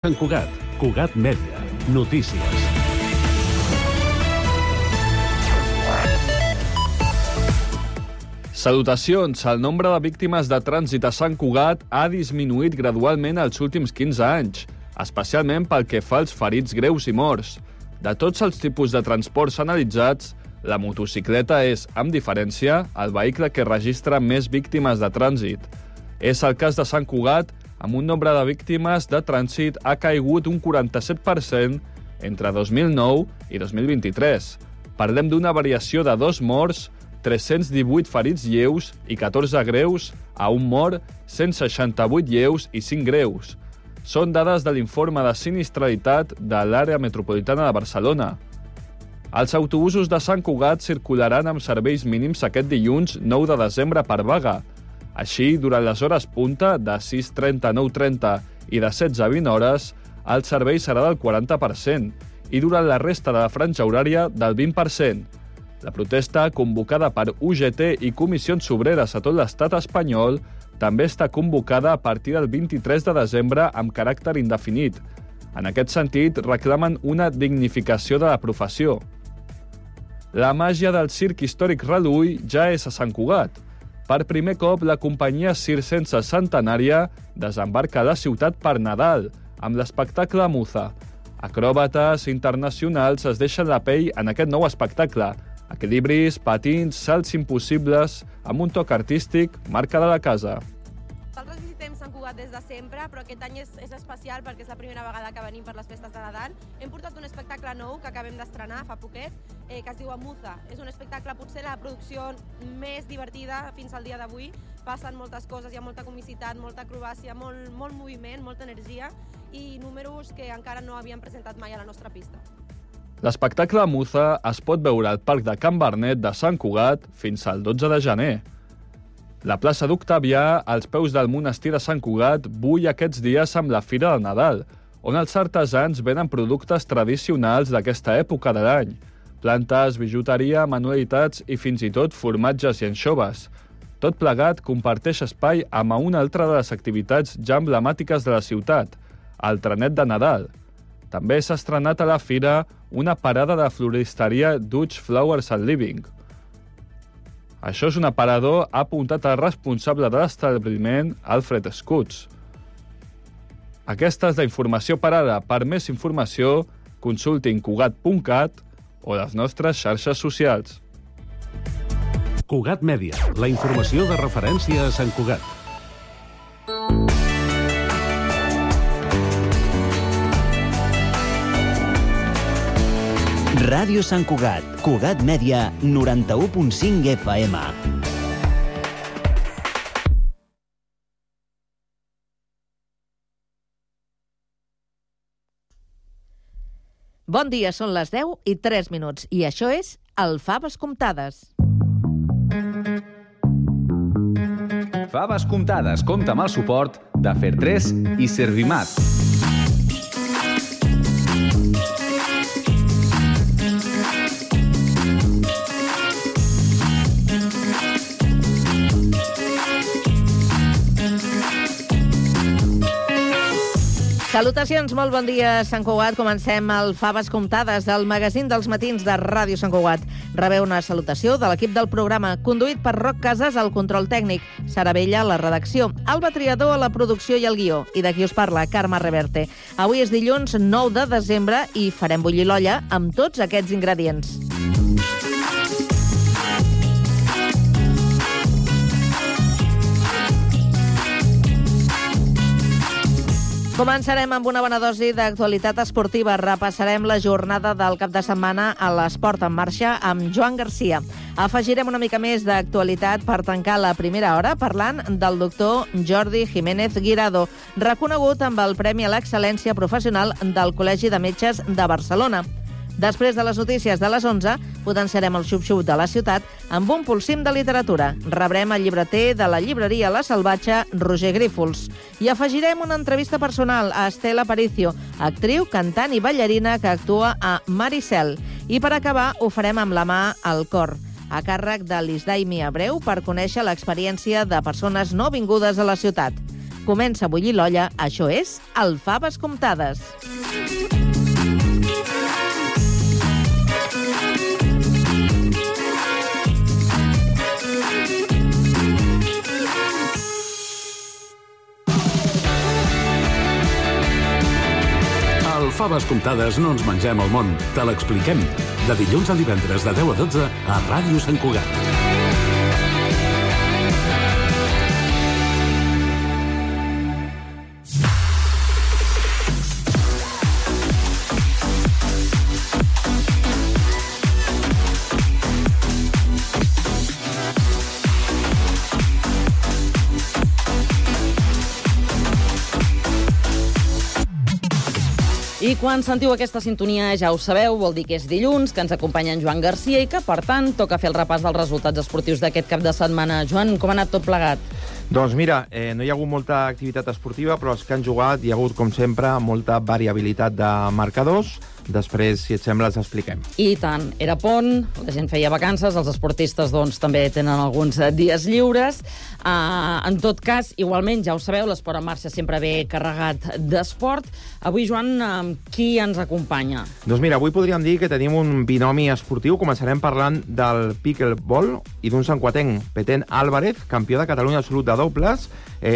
Sant Cugat, Cugat Mèdia, notícies. Salutacions. El nombre de víctimes de trànsit a Sant Cugat ha disminuït gradualment els últims 15 anys, especialment pel que fa als ferits greus i morts. De tots els tipus de transports analitzats, la motocicleta és, amb diferència, el vehicle que registra més víctimes de trànsit. És el cas de Sant Cugat, amb un nombre de víctimes de trànsit ha caigut un 47% entre 2009 i 2023. Parlem d'una variació de 2 morts, 318 ferits lleus i 14 greus, a un mort, 168 lleus i 5 greus. Són dades de l'informe de sinistralitat de l'àrea metropolitana de Barcelona. Els autobusos de Sant Cugat circularan amb serveis mínims aquest dilluns 9 de desembre per vaga. Així, durant les hores punta, de 6:30 a 9:30 i de 16 a 20 hores, el servei serà del 40% i durant la resta de la franja horària del 20%. La protesta, convocada per UGT i comissions obreres a tot l'estat espanyol, també està convocada a partir del 23 de desembre amb caràcter indefinit. En aquest sentit, reclamen una dignificació de la professió. La màgia del circ històric Redull ja és a Sant Cugat. Per primer cop, la companyia circense centenària desembarca a la ciutat per Nadal, amb l'espectacle Muza. Acròbates internacionals es deixen la pell en aquest nou espectacle. Equilibris, patins, salts impossibles, amb un toc artístic, marca de la casa. Nosaltres visitem Sant Cugat des de sempre, però aquest any és especial perquè és la primera vegada que venim per les festes de Nadal. Hem portat un espectacle nou que acabem d'estrenar fa poquet, que es diu Muza. És un espectacle, potser la producció més divertida fins al dia d'avui. Passen moltes coses, hi ha molta comicitat, molta acrobàcia, molt moviment, molta energia i números que encara no havíem presentat mai a la nostra pista. L'espectacle Muza es pot veure al Parc de Can Barnet de Sant Cugat fins al 12 de gener. La plaça d'Octavià, als peus del monestir de Sant Cugat, bull aquests dies amb la Fira de Nadal, on els artesans venen productes tradicionals d'aquesta època de l'any. Plantes, bijuteria, manualitats i fins i tot formatges i anxoves. Tot plegat comparteix espai amb una altra de les activitats ja emblemàtiques de la ciutat, el trenet de Nadal. També s'ha estrenat a la fira una parada de floristeria Dutch Flowers and Living. Això és un aparador, ha apuntat el responsable de l'establiment, Alfred Scutts. Aquesta és la informació per ara. Per més informació, consultin cugat.cat o les nostres xarxes socials. Cugat Mèdia, la informació de referència a Sant Cugat. Ràdio Sant Cugat, Cugat Mèdia, 91.5 FM. Bon dia, són les 10 i 3 minuts i això és el Faves Comptades. Faves Comptades compta amb el suport de Fer3 i Servimat. Salutacions, molt bon dia, Sant Cugat. Comencem el Faves Comptades, el magazín dels matins de Ràdio Sant Cugat. Rebeu una salutació de l'equip del programa, conduït per Roc Casas al control tècnic, Sara Bella a la redacció, Alba Triador a la producció i el guió, i de qui us parla, Carme Reverte. Avui és dilluns 9 de desembre i farem bullir l'olla amb tots aquests ingredients. Començarem amb una bona dosi d'actualitat esportiva. Repassarem la jornada del cap de setmana a l'Esport en Marxa amb Joan Garcia. Afegirem una mica més d'actualitat per tancar la primera hora parlant del doctor Jordi Jiménez Guirado, reconegut amb el Premi a l'Excel·lència Professional del Col·legi de Metges de Barcelona. Després de les notícies de les 11, potenciarem el xup-xup de la ciutat amb un pulsim de literatura. Rebrem el llibreter de la llibreria La Salvatge, Roger Grífols. I afegirem una entrevista personal a Estela Aparicio, actriu, cantant i ballarina que actua a Maricel. I per acabar, ho farem amb la mà al cor, a càrrec de l'Isdaimi Abreu per conèixer l'experiència de persones no vingudes a la ciutat. Comença a bullir l'olla, això és el Faves Comptades. Al Faves Comptades no ens mengem el món, te l'expliquem. De dilluns a divendres de 10 a 12 a Ràdio Sant Cugat. I quan sentiu aquesta sintonia, ja ho sabeu, vol dir que és dilluns, que ens acompanya en Joan Garcia i que, per tant, toca fer el repàs dels resultats esportius d'aquest cap de setmana. Joan, com ha anat tot plegat? Doncs mira, no hi ha hagut molta activitat esportiva, però els que han jugat hi ha hagut, com sempre, molta variabilitat de marcadors. Després, si et sembla, els expliquem. I tant, era pont, la gent feia vacances, els esportistes doncs, també tenen alguns dies lliures. En tot cas, igualment, ja ho sabeu, l'Esport en Marxa sempre ve carregat d'esport. Avui, Joan, qui ens acompanya? Doncs mira, avui podríem dir que tenim un binomi esportiu. Començarem parlant del pickleball i d'un santcuatenc, Petén Álvarez, campió de Catalunya absolut de dobles,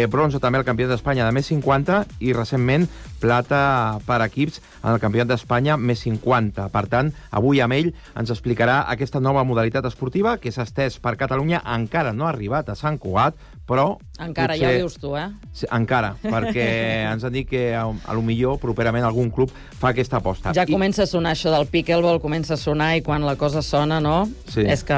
bronze també el campionat d'Espanya de més 50 i recentment plata per equips en el campionat d'Espanya més 50. Per tant, avui amb ell ens explicarà aquesta nova modalitat esportiva que s'ha estès per Catalunya. Encara no ha arribat a Sant Cugat, però... Encara, potser... ja ho dius tu, eh? Sí, encara, perquè ens han dit que a lo millor properament algun club fa aquesta aposta. Ja comença a sonar això del pickleball, comença a sonar i quan la cosa sona, no? Sí. És que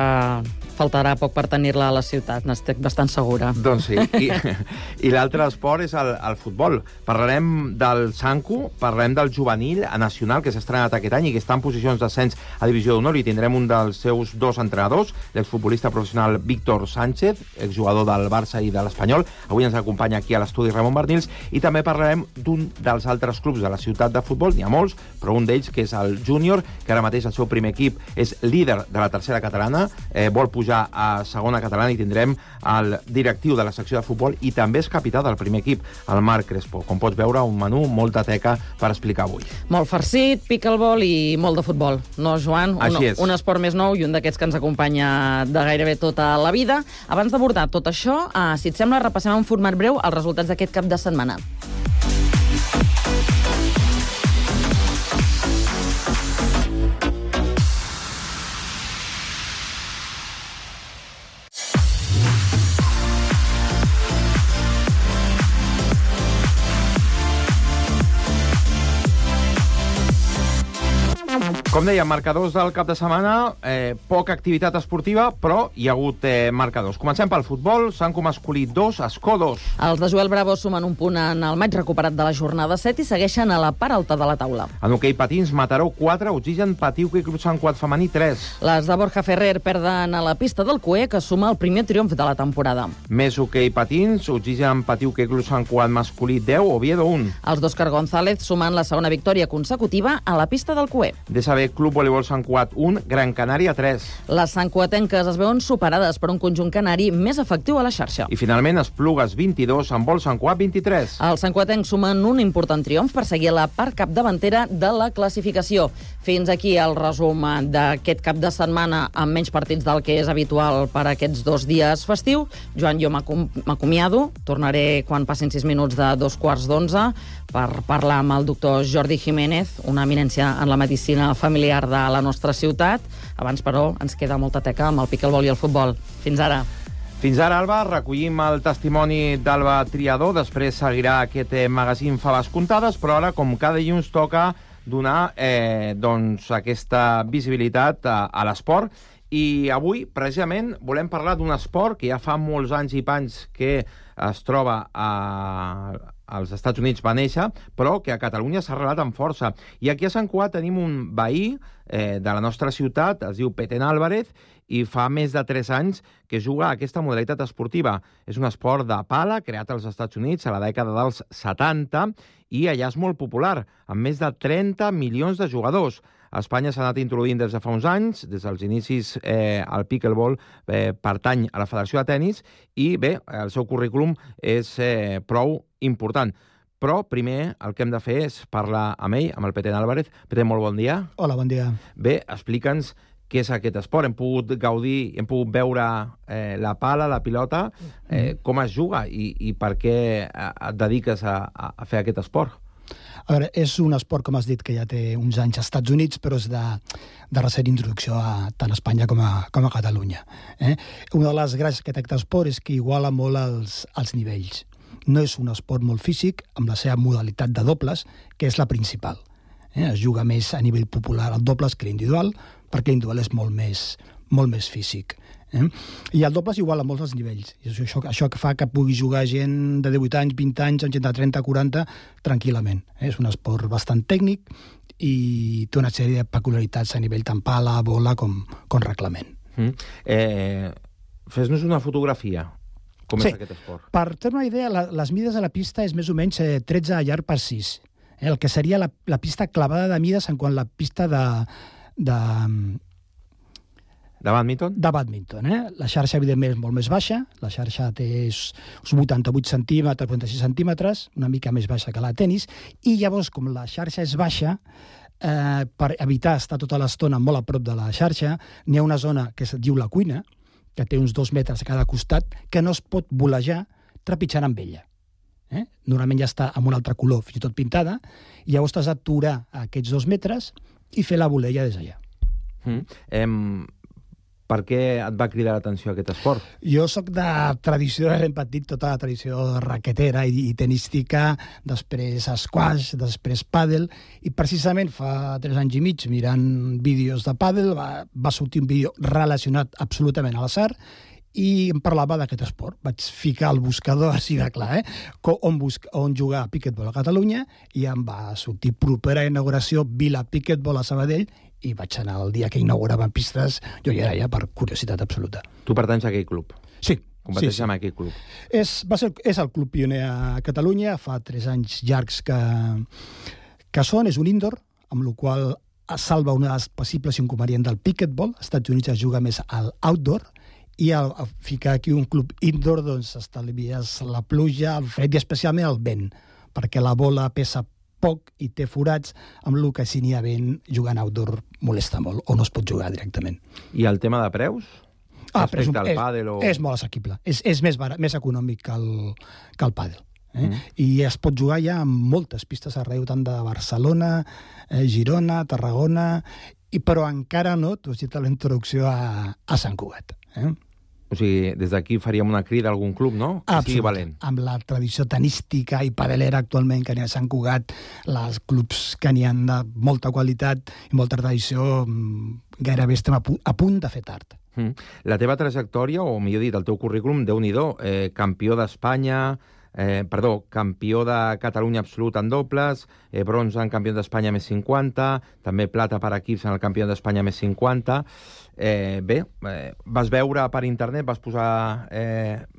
faltarà poc per tenir-la a la ciutat, n'estic bastant segura. Doncs sí, i l'altre esport és el futbol. Parlarem del Sancu, parlarem del juvenil a nacional, que s'ha estrenat aquest any i que està en posicions d'ascens a Divisió d'Honor, i tindrem un dels seus dos entrenadors, l'exfutbolista professional Víctor Sánchez, exjugador del Barça i de l'Espanyol. Avui ens acompanya aquí a l'estudi Ramon Bernils, i també parlarem d'un dels altres clubs de la ciutat de futbol, n'hi ha molts, però un d'ells, que és el Júnior, que ara mateix el seu primer equip és líder de la tercera catalana, vol pujar a segona catalana, i tindrem el directiu de la secció de futbol i també és capità del primer equip, el Marc Crespo. Com pots veure, un menú, molta teca per explicar avui. Molt farcit, pickleball i molt de futbol. No, Joan? Un esport més nou i un d'aquests que ens acompanya de gairebé tota la vida. Abans d'abordar tot això, si et sembla, repassem en format breu els resultats d'aquest cap de setmana. Com dèiem, marcadors del cap de setmana, poca activitat esportiva, però hi ha hagut marcadors. Comencem pel futbol, Sancu masculí 2, Escó 2. Els de Joel Bravo sumen un punt en el maig recuperat de la jornada 7 i segueixen a la part alta de la taula. En hoquei patins, Mataró 4, Oxigen Patiuca i Club Sant Cugat femení 3. Les de Borja Ferrer perden a la pista del Cué, que suma el primer triomf de la temporada. Més hoquei patins, Oxigen Patiuca i Club Sant Cugat masculí 10, Oviedo 1. Els d'Òscar González sumen la segona victòria consecutiva a la pista del Cué. DSB Club Voleibol Sant Cugat 1, Gran Canària 3. Les santcuatenques es veuen superades per un conjunt canari més efectiu a la xarxa. I finalment Esplugues 22, Handbol Sant Cugat 23. Els santcuatencs sumen un important triomf per seguir a la part capdavantera de la classificació. Fins aquí el resum d'aquest cap de setmana amb menys partits del que és habitual per aquests 2 dies festiu. Joan, jo m'acomiado. Tornaré quan passin 6 minuts de 2:15 per parlar amb el doctor Jordi Jiménez, una eminència en la medicina familiar de la nostra ciutat. Abans, però, ens queda molta teca amb el pickleball i el futbol. Fins ara. Fins ara, Alba, recollim el testimoni d'Alba Triador, després seguirà aquest magazín Faves Comptades, però ara, com cada dilluns, toca donar doncs, aquesta visibilitat a l'esport. I avui, precisament, volem parlar d'un esport que ja fa molts anys i panys que es troba als Estats Units, va néixer, però que a Catalunya s'ha arrelat amb força. I aquí a Sant Cugat tenim un veí de la nostra ciutat, es diu Petén Álvarez, i fa més de 3 anys que juga a aquesta modalitat esportiva. És un esport de pala creat als Estats Units a la dècada dels 70 i allà és molt popular, amb més de 30 milions de jugadors. A Espanya s'ha anat introduint des de fa uns anys, des dels inicis el pickleball pertany a la Federació de Tenis i bé, el seu currículum és prou important. Però primer el que hem de fer és parlar amb ell, amb el Petén Álvarez. Petén, molt bon dia. Hola, bon dia. Bé, explica'ns què és aquest esport. Hem pogut gaudir, hem pogut veure la pala, la pilota, com es juga i per què et dediques a fer aquest esport. A veure, és un esport, com has dit, que ja té uns anys als Estats Units, però és de recent introducció tant a Espanya com a Catalunya. Una de les gràcies que té aquest esport és que iguala molt els nivells. No és un esport molt físic, amb la seva modalitat de dobles, que és la principal. Es juga més a nivell popular el dobles que l'individual, perquè l'individual és molt més físic. I el doble és igual a molts dels nivells. I això que fa que pugui jugar gent de 18 anys, 20 anys, amb gent de 30, 40, tranquil·lament. És un esport bastant tècnic i té una sèrie de peculiaritats a nivell tant pala, bola com reglament. Fes-nos una fotografia. Com és aquest esport? Per tenir una idea, les mides de la pista és més o menys 13 a llarg per 6. El que seria la pista clavada de mides en quant a la pista de badminton? De badminton, La xarxa, evidentment, és molt més baixa. La xarxa té uns 88 centímetres, 46 centímetres, una mica més baixa que la de tenis, i llavors, com la xarxa és baixa, per evitar estar tota l'estona molt a prop de la xarxa, n'hi ha una zona que es diu la cuina, que té uns 2 metres a cada costat, que no es pot volejar trepitjant amb ella. Normalment ja està amb un altre color, fins i tot pintada, i llavors t'has d'aturar aquests 2 metres i fer la volella des d'allà. Per què et va cridar l'atenció aquest esport? Jo sóc de tradició, he repetit tota la tradició raquetera i tenística, després squash, després pàdel, i precisament fa 3 anys i mig, mirant vídeos de pàdel, va sortir un vídeo relacionat absolutament a l'atzar, i em parlava d'aquest esport. Vaig ficar al buscador, així de clar, on jugar a piquetbol a Catalunya, i em va sortir propera inauguració Vila Piquetbol a Sabadell, i vaig anar el dia que inauguraven pistes, jo hi era ja per curiositat absoluta. Tu pertanys a aquell club? Sí. Competeixes amb aquell club? És el club pioner a Catalunya, fa 3 anys llargs que és un indoor, amb el qual es salva una dels possibles inconvenients del piquetbol. Als Estats Units es juga més al outdoor, i al ficar aquí un club indoor, doncs estalvies la pluja, el fred i especialment el vent, perquè la bola pesa poc i té forats, amb el que si n'hi ha vent, jugant outdoor molesta molt, o no es pot jugar directament. I el tema de preus? Respecte al pàdel? És molt assequible. És més econòmic que el pàdel. I es pot jugar ja amb moltes pistes arreu, tant de Barcelona, Girona, Tarragona, però encara no, tu has dit la introducció a Sant Cugat. O sigui, des d'aquí faríem una crida a algun club, no? Que sigui valent. Amb la tradició tenística i padelera actualment que n'hi ha a Sant Cugat, els clubs que n'hi ha de molta qualitat i molta tradició, gairebé estem a punt de fer tard. La teva trajectòria, o millor dit, el teu currículum, Déu-n'hi-do, campió d'Espanya, campió de Catalunya absolut en dobles, bronze en campió d'Espanya més 50, també plata per equips en el campió d'Espanya més 50. Vas veure per internet, vas posar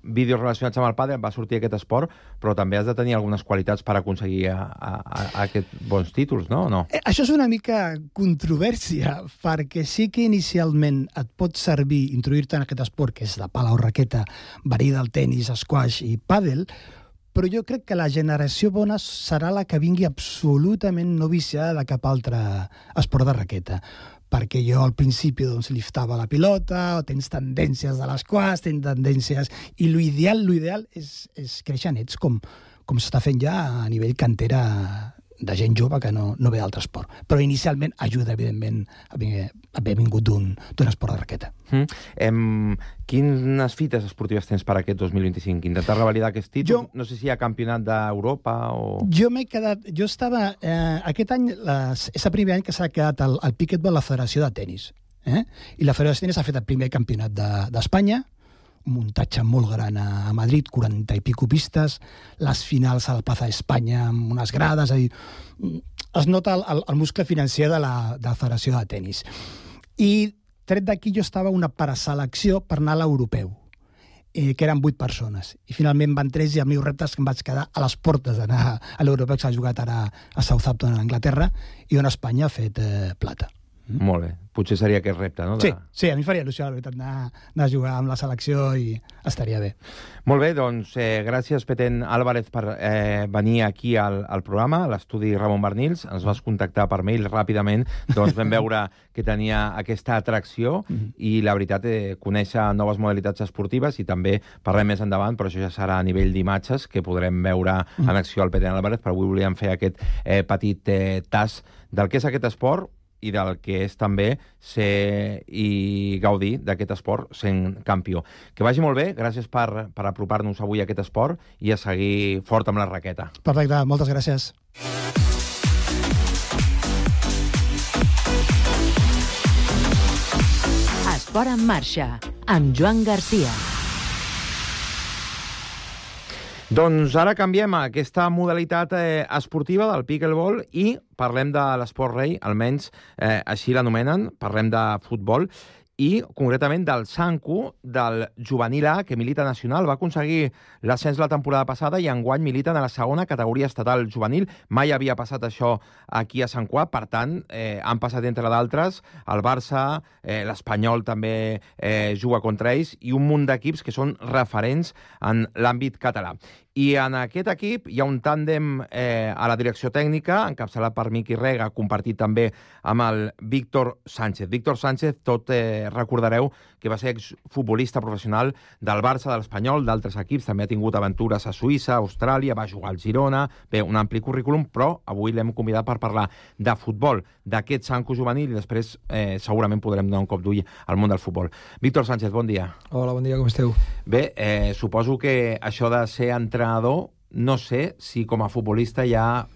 vídeos relacionats amb el pàdel, va sortir aquest esport, però també has de tenir algunes qualitats per aconseguir aquests bons títols, no? Això és una mica controvèrsia, perquè sí que inicialment et pot servir introduir-te en aquest esport, que és la pala o raqueta, verí del tenis, squash i pàdel, però jo crec que la generació bona serà la que vingui absolutament no viciada de cap altre esport de raqueta. Perquè jo al principi liftava la pilota, o tens tendències de l'esquash, tens tendències... I l'ideal és créixer nets, com s'està fent ja a nivell cantera de gent jove que no ve d'altre esport. Però inicialment ajuda, evidentment, haver vingut d'un esport de raqueta. Quines fites esportives tens per aquest 2025? Intentar revalidar aquest títol? No sé si hi ha campionat d'Europa o... Jo m'he quedat... Jo estava... Aquest any és el primer any que s'ha quedat el piquetbol a la Federació de Tenis. I la Federació de Tenis ha fet el primer campionat d'Espanya, un muntatge molt gran a Madrid, 40 i pico pistes, les finals a la Plaza d'Espanya amb unes grades, es nota el muscle financer de la Federació de Tenis. I tret d'aquí jo estava una preselecció per anar a l'europeu, que eren 8 persones. I finalment van 3 i el meu repte és que em vaig quedar a les portes d'anar a l'europeu, que s'ha jugat ara a Southampton, a Anglaterra, i on Espanya ha fet plata. Molt bé. Potser seria aquest repte, no? Sí, a mi faria il·lusió, la veritat, anar a jugar amb la selecció i estaria bé. Molt bé, doncs gràcies, Petén Álvarez, per venir aquí al programa, a l'estudi Ramon Barnils. Ens vas contactar per mail ràpidament, doncs vam veure que tenia aquesta atracció i, la veritat, conèixer noves modalitats esportives, i també parlem més endavant, però això ja serà a nivell d'imatges, que podrem veure en acció al Petén Álvarez, però avui volíem fer aquest petit tast del que és aquest esport i del que és també ser i gaudir d'aquest esport sent campió. Que vagi molt bé, gràcies per apropar-nos avui a aquest esport i a seguir fort amb la raqueta. Perfecte, moltes gràcies. Esport en marxa, amb Joan Garcia. Doncs ara canviem a aquesta modalitat esportiva del pickleball i parlem de l'esport rei, almenys així l'anomenen, parlem de futbol, i concretament del Sanku, del juvenil A, que milita nacional. Va aconseguir l'ascens la temporada passada i enguany militen a la segona categoria estatal juvenil. Mai havia passat això aquí a Sant Cugat, per tant, han passat, entre d'altres, el Barça, l'Espanyol també juga contra ells, i un munt d'equips que són referents en l'àmbit català. I en aquest equip hi ha un tàndem a la direcció tècnica, encapçalat per Miqui Rega, compartit també amb el Víctor Sánchez. Víctor Sánchez, tot recordareu que va ser exfutbolista professional del Barça, de l'Espanyol, d'altres equips, també ha tingut aventures a Suïssa, a Austràlia, va jugar al Girona, bé, un ampli currículum, però avui l'hem convidat per parlar de futbol, d'aquest Sanku juvenil, i després segurament podrem donar un cop d'ull al món del futbol. Víctor Sánchez, bon dia. Hola, bon dia, com esteu? Bé, suposo que això de ser entrenador, no sé si com a futbolista ja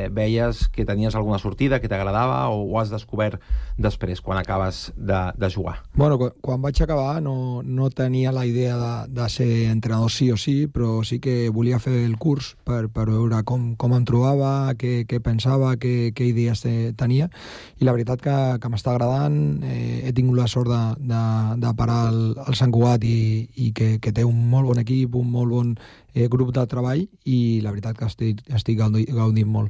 veies que tenies alguna sortida, que t'agradava, o ho has descobert després, quan acabes de jugar? Bueno, quan vaig acabar no tenia la idea de ser entrenador sí o sí, però sí que volia fer el curs per veure com em trobava, què pensava, què idees tenia, i la veritat que m'està agradant. He tingut la sort de parar al Sant Cugat i que té un molt bon equip, un molt bon grup de treball, i la veritat que estic gaudint molt.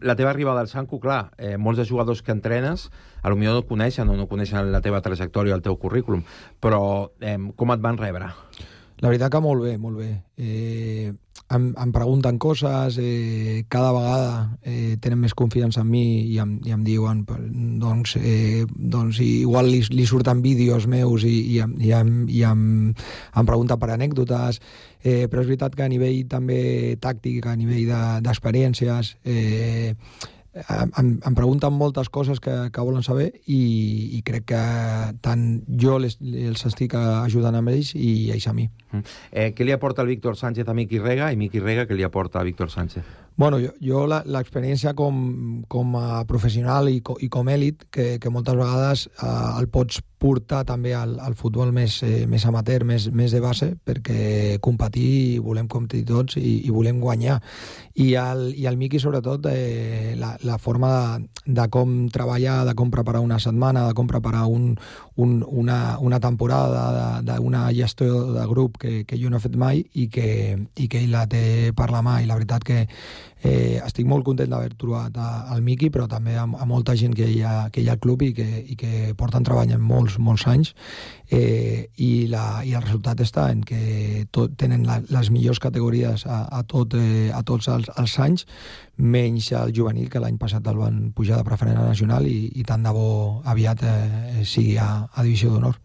La teva arribada al Sanku, clar, molts de jugadors que entrenes potser no coneixen o no coneixen la teva trajectòria, el teu currículum, però com et van rebre? La veritat que molt bé, molt bé. Em pregunten coses, cada vegada tenen més confiança en mi i em diuen, doncs igual li surten vídeos meus i em pregunten per anècdotes, però és veritat que a nivell també tàctic, a nivell d'experiències, em pregunten moltes coses que volen saber, i crec que tant jo els estic ajudant amb ells i ells a mi. Què li aporta el Víctor Sánchez a Miqui Rega, i Miqui Rega què li aporta a Víctor Sánchez? Bueno, jo l'experiència com a professional i com èlit, que moltes vegades el pots portar també al futbol més amateur, més de base, perquè competir, volem competir tots i volem guanyar. I el Miqui, sobretot, la forma de com treballar, de com preparar una setmana, de com preparar una temporada, d'una gestió de grup que jo no he fet mai i que ell la té per la mà, i la veritat que estic molt content d'haver trobat el Miqui, però també a molta gent que hi ha al club i que porten treballant molts anys, i el resultat està en que tenen les millors categories a tots els anys, menys el juvenil, que l'any passat el van pujar de preferent a nacional, i tant de bo aviat sigui a divisió d'honor.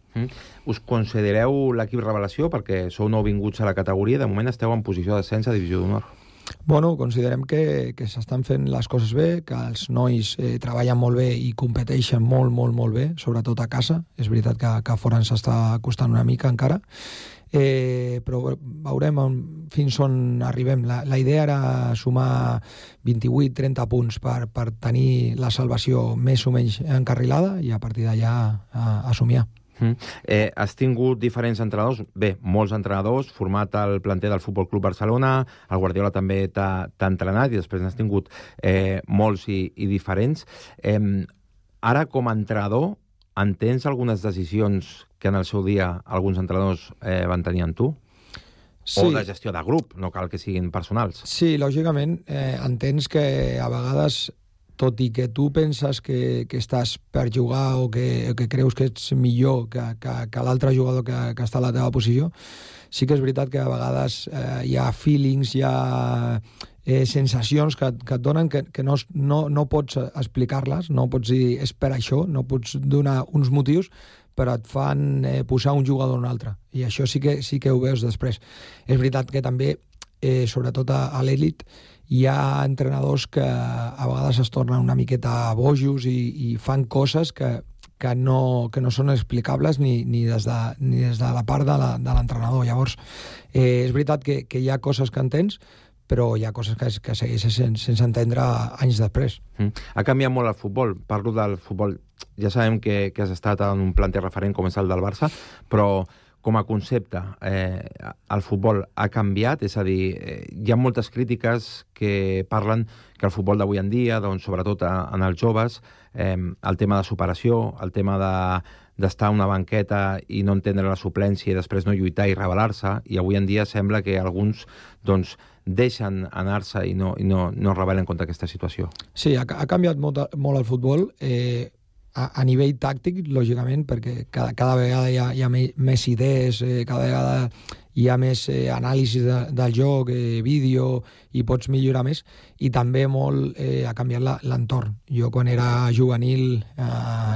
Us considereu l'equip revelació perquè sou nouvinguts a la categoria? De moment esteu en posició d'ascens a divisió d'honor. Bueno, considerem que s'estan fent les coses bé, que els nois treballen molt bé i competeixen molt bé, sobretot a casa. És veritat que a fora ens està costant una mica encara, però veurem fins on arribem. La idea era sumar 28-30 punts per tenir la salvació més o menys encarrilada, i a partir d'allà a somiar. Has tingut diferents entrenadors, bé, molts entrenadors, format el planter del Futbol Club Barcelona, el Guardiola també t'ha entrenat, i després n'has tingut molts i diferents. Ara, com a entrenador, entens algunes decisions que en el seu dia alguns entrenadors van tenir amb tu? Sí. O de gestió de grup, no cal que siguin personals. Sí, lògicament, entens que a vegades tot i que tu penses que estàs per jugar o que creus que ets millor que l'altre jugador que està a la teva posició, sí que és veritat que a vegades hi ha feelings, hi ha sensacions que et donen que no pots explicar-les, no pots dir és per això, no pots donar uns motius, però et fan posar un jugador o un altre. I això sí que ho veus després. És veritat que també, sobretot a l'elit, hi ha entrenadors que a vegades es tornen una miqueta bojos i fan coses que no són explicables ni des de la part de l'entrenador. Llavors, és veritat que hi ha coses que entens, però hi ha coses que segueixen sense entendre anys després. Ha canviat molt el futbol. Parlo del futbol. Ja sabem que has estat en un planter referent com és el del Barça, però com a concepte, el futbol ha canviat? És a dir, hi ha moltes crítiques que parlen que el futbol d'avui en dia, doncs, sobretot en els joves, el tema de superació, el tema d'estar a una banqueta i no entendre la suplència i després no lluitar i rebel·lar-se, i avui en dia sembla que alguns doncs, deixen anar-se i no rebel·len contra aquesta situació. Sí, ha canviat molt el futbol, a nivell tàctic, lògicament, perquè cada vegada hi ha més idees, cada vegada hi ha més anàlisi del joc, vídeo, i pots millorar més, i també molt ha canviat l'entorn. Jo, quan era juvenil,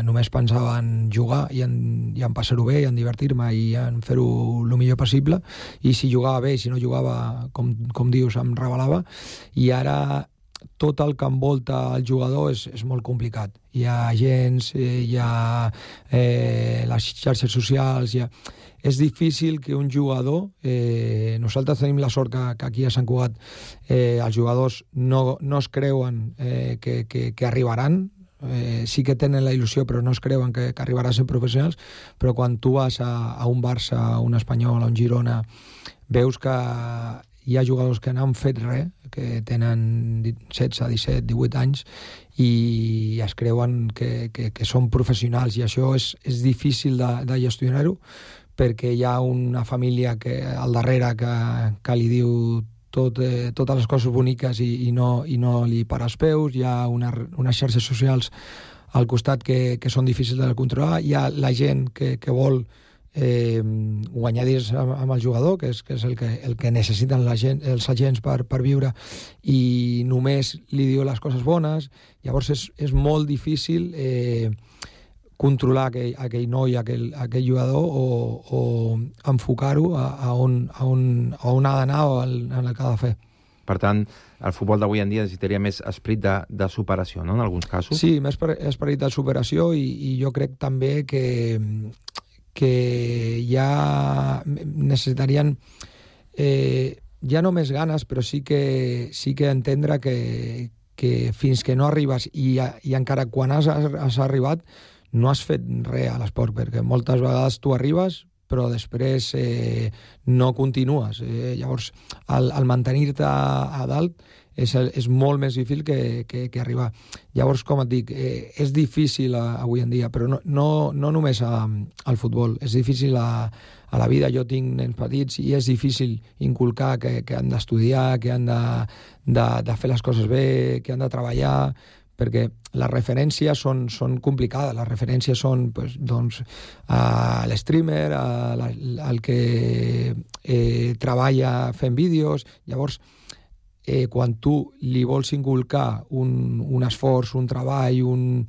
només pensava en jugar i en passar-ho bé, i en divertir-me i en fer-ho el millor possible, i si jugava bé, si no jugava, com dius, em rebel·lava, i ara tot el que envolta el jugador és molt complicat. Hi ha agents, hi ha les xarxes socials, és difícil que un jugador... nosaltres tenim la sort que aquí a Sant Cugat els jugadors no es creuen que arribaran, sí que tenen la il·lusió, però no es creuen que arribaran a ser professionals, però quan tu vas a un Barça, a un Espanyol, a un Girona, veus que hi ha jugadors que no han fet res, que tenen 16, 17, 18 anys i es creuen que són professionals, i això és difícil de gestionar-ho, perquè hi ha una família al darrere que li diu totes les coses boniques i no li para els peus, hi ha unes xarxes socials al costat que són difícils de controlar, hi ha la gent que vol guanyar diners amb el jugador, que és el que necessiten els agents per viure, i només li diu les coses bones. Llavors és molt difícil controlar aquell noi, aquell jugador, o enfocar-ho a on ha d'anar o en el que ha de fer. Per tant, el futbol d'avui en dia necessitaria més esperit de superació, no?, en alguns casos? Sí, més esperit de superació, i jo crec també que ja necessitarien ja no més ganes, però sí que entendre que fins que no arribes i encara quan has arribat no has fet res a l'esport, perquè moltes vegades tu arribes però després no continues. Llavors, el mantenir-te a dalt és molt més difícil que arribar. Llavors, com et dic, és difícil avui en dia, però no només al futbol, és difícil a la vida. Jo tinc nens petits i és difícil inculcar que han d'estudiar, que han de fer les coses bé, que han de treballar, perquè les referències són complicades. Les referències són l'streamer, el que treballa fent vídeos. Llavors, quan tu li vols inculcar un esforç, un treball,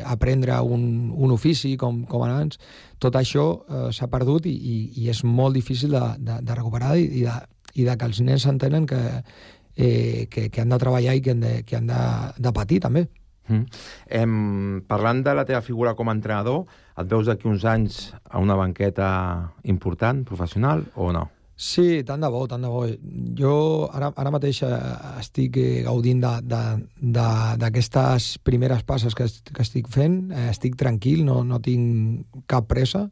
aprendre un ofici com abans, tot això s'ha perdut i és molt difícil de recuperar i de que els nens s'entenen que han de treballar i que han de patir també. Parlant de la teva figura com a entrenador, et veus d'aquí uns anys a una banqueta important, professional, o no? Sí, tant de bo. Jo ara mateix estic gaudint d'aquestes primeres passes que estic fent. Estic tranquil, no tinc cap pressa.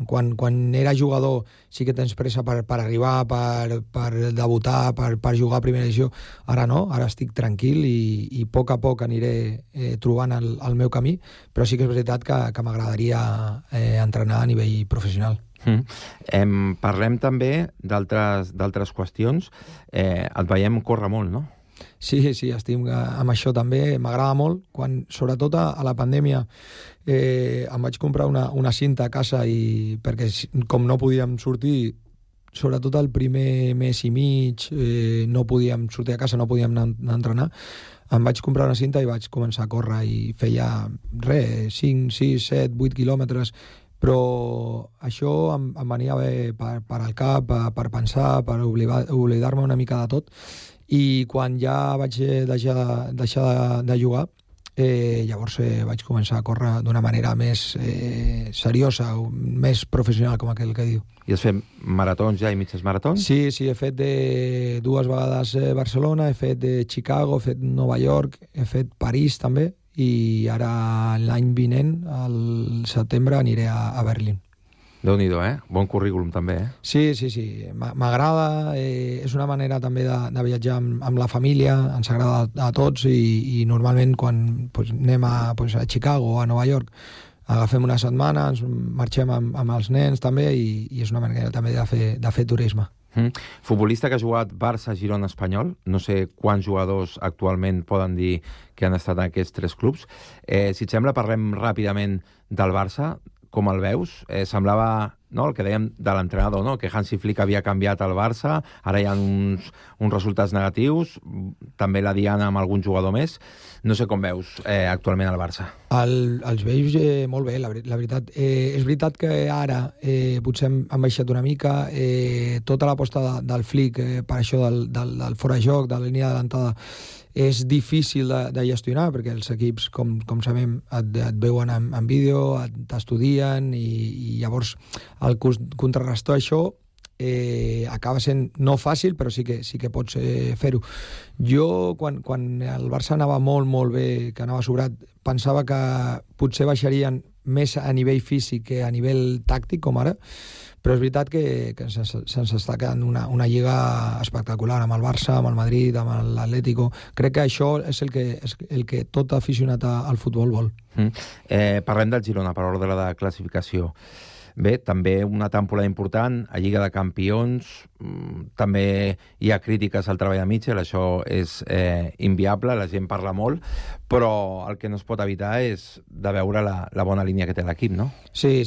Quan era jugador sí que tens pressa per arribar, per debutar, per jugar a primera divisió. Ara no, ara estic tranquil i a poc aniré trobant el meu camí, però sí que és veritat que m'agradaria entrenar a nivell professional. Parlem també d'altres qüestions. Et veiem córrer molt, no? Sí, estic amb això també, m'agrada molt. Sobretot a la pandèmia em vaig comprar una cinta a casa perquè com no podíem sortir, sobretot el primer mes i mig, no podíem sortir a casa, no podíem anar a entrenar, em vaig comprar una cinta i vaig començar a córrer i feia 5, 6, 7, 8 quilòmetres, però això em venia bé per al cap, per pensar, per oblidar-me una mica de tot, i quan ja vaig deixar de jugar, llavors vaig començar a córrer d'una manera més seriosa, més professional, com aquell que diu. I has fet maratons ja i mitges maratons? Sí, he fet 2 vegades Barcelona, he fet Chicago, he fet Nova York, he fet París també, i ara l'any vinent, al setembre, aniré a Berlín. Déu-n'hi-do, Bon currículum també, Sí. M'agrada, és una manera també de viatjar amb la família, ens agrada a tots, i normalment quan anem a Chicago o a Nova York agafem una setmana, ens marxem amb els nens també, i és una manera també de fer turisme. Futbolista que ha jugat Barça, Girona, Espanyol, no sé quants jugadors actualment poden dir que han estat en aquests 3 clubs. Si et sembla, parlem ràpidament del Barça. Com el veus? Semblava, no, el que dèiem de l'entrenador, no? Que Hansi Flick havia canviat el Barça, ara hi ha uns resultats negatius, també la diana amb algun jugador més. No sé com veus actualment el Barça. Els veus molt bé, la veritat. És veritat que ara potser han baixat una mica, tota l'aposta del Flick per això del fora-joc, de la línia d'adelantada, és difícil de gestionar, perquè els equips, com sabem, et veuen en vídeo, t'estudien, i llavors el contrarrestar això acaba sent no fàcil, però sí que pots fer-ho. Jo, quan el Barça anava molt bé, que anava sobrat, pensava que potser baixarien més a nivell físic que a nivell tàctic, com ara, però és veritat que se'ns està quedant una lliga espectacular amb el Barça, amb el Madrid, amb l'Atlético. Crec que això és el que tot aficionat al futbol vol. Parlem del Girona, per ordre de classificació. Bé, també una temporada important a Lliga de Campions, també hi ha crítiques al treball de Mitchell, això és inviable, la gent parla molt, però el que no es pot evitar és de veure la bona línia que té l'equip, no? Sí,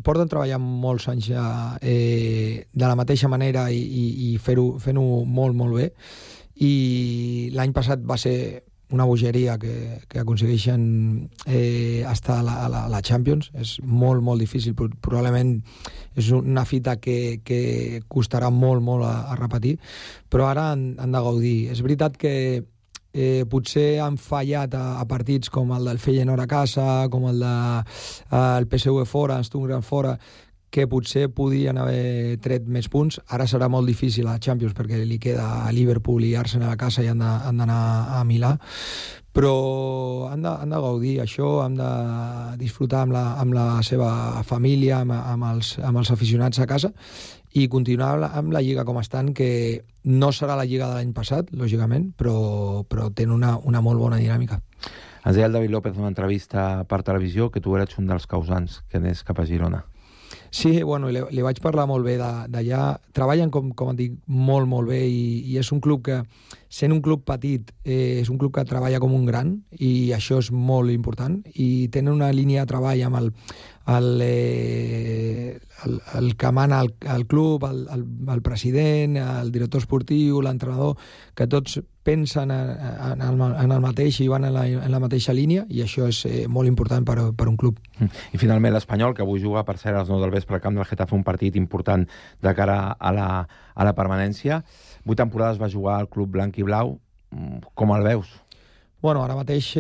porten treballant molts anys ja de la mateixa manera i fent-ho molt bé, i l'any passat va ser una bogeria que aconsegueixen estar a la Champions. És molt difícil, probablement és una fita que costarà molt a repetir, però ara han de gaudir. És veritat que potser han fallat a partits com el del Feyenoord a casa, com el del PSV fora, Stuttgart fora, que potser podien haver tret més punts. Ara serà molt difícil a Champions perquè li queda a Liverpool i Arsenal a casa i han d'anar a Milà, però han de gaudir això, han de disfrutar amb la seva família, amb els aficionats a casa, i continuar amb la Lliga com estan, que no serà la Lliga de l'any passat, lògicament, però tenen una molt bona dinàmica. Ens deia el David López en una entrevista per televisió que tu eres un dels causants que anés cap a Girona. Sí, bueno, li vaig parlar molt bé d'allà. Treballen, com et dic, molt bé, i és un club que, sent un club petit, és un club que treballa com un gran, i això és molt important, i tenen una línia de treball amb el que mana el club, el president, el director esportiu, l'entrenador, que tots pensen en el mateix i van en la mateixa línia, i això és molt important per un club. I finalment l'Espanyol, que avui juga per ser a les 9 del vespre al camp del Getafe, un partit important de cara a la permanència. 8 temporades va jugar al club blanc i blau. Com el veus? Bueno, ara mateix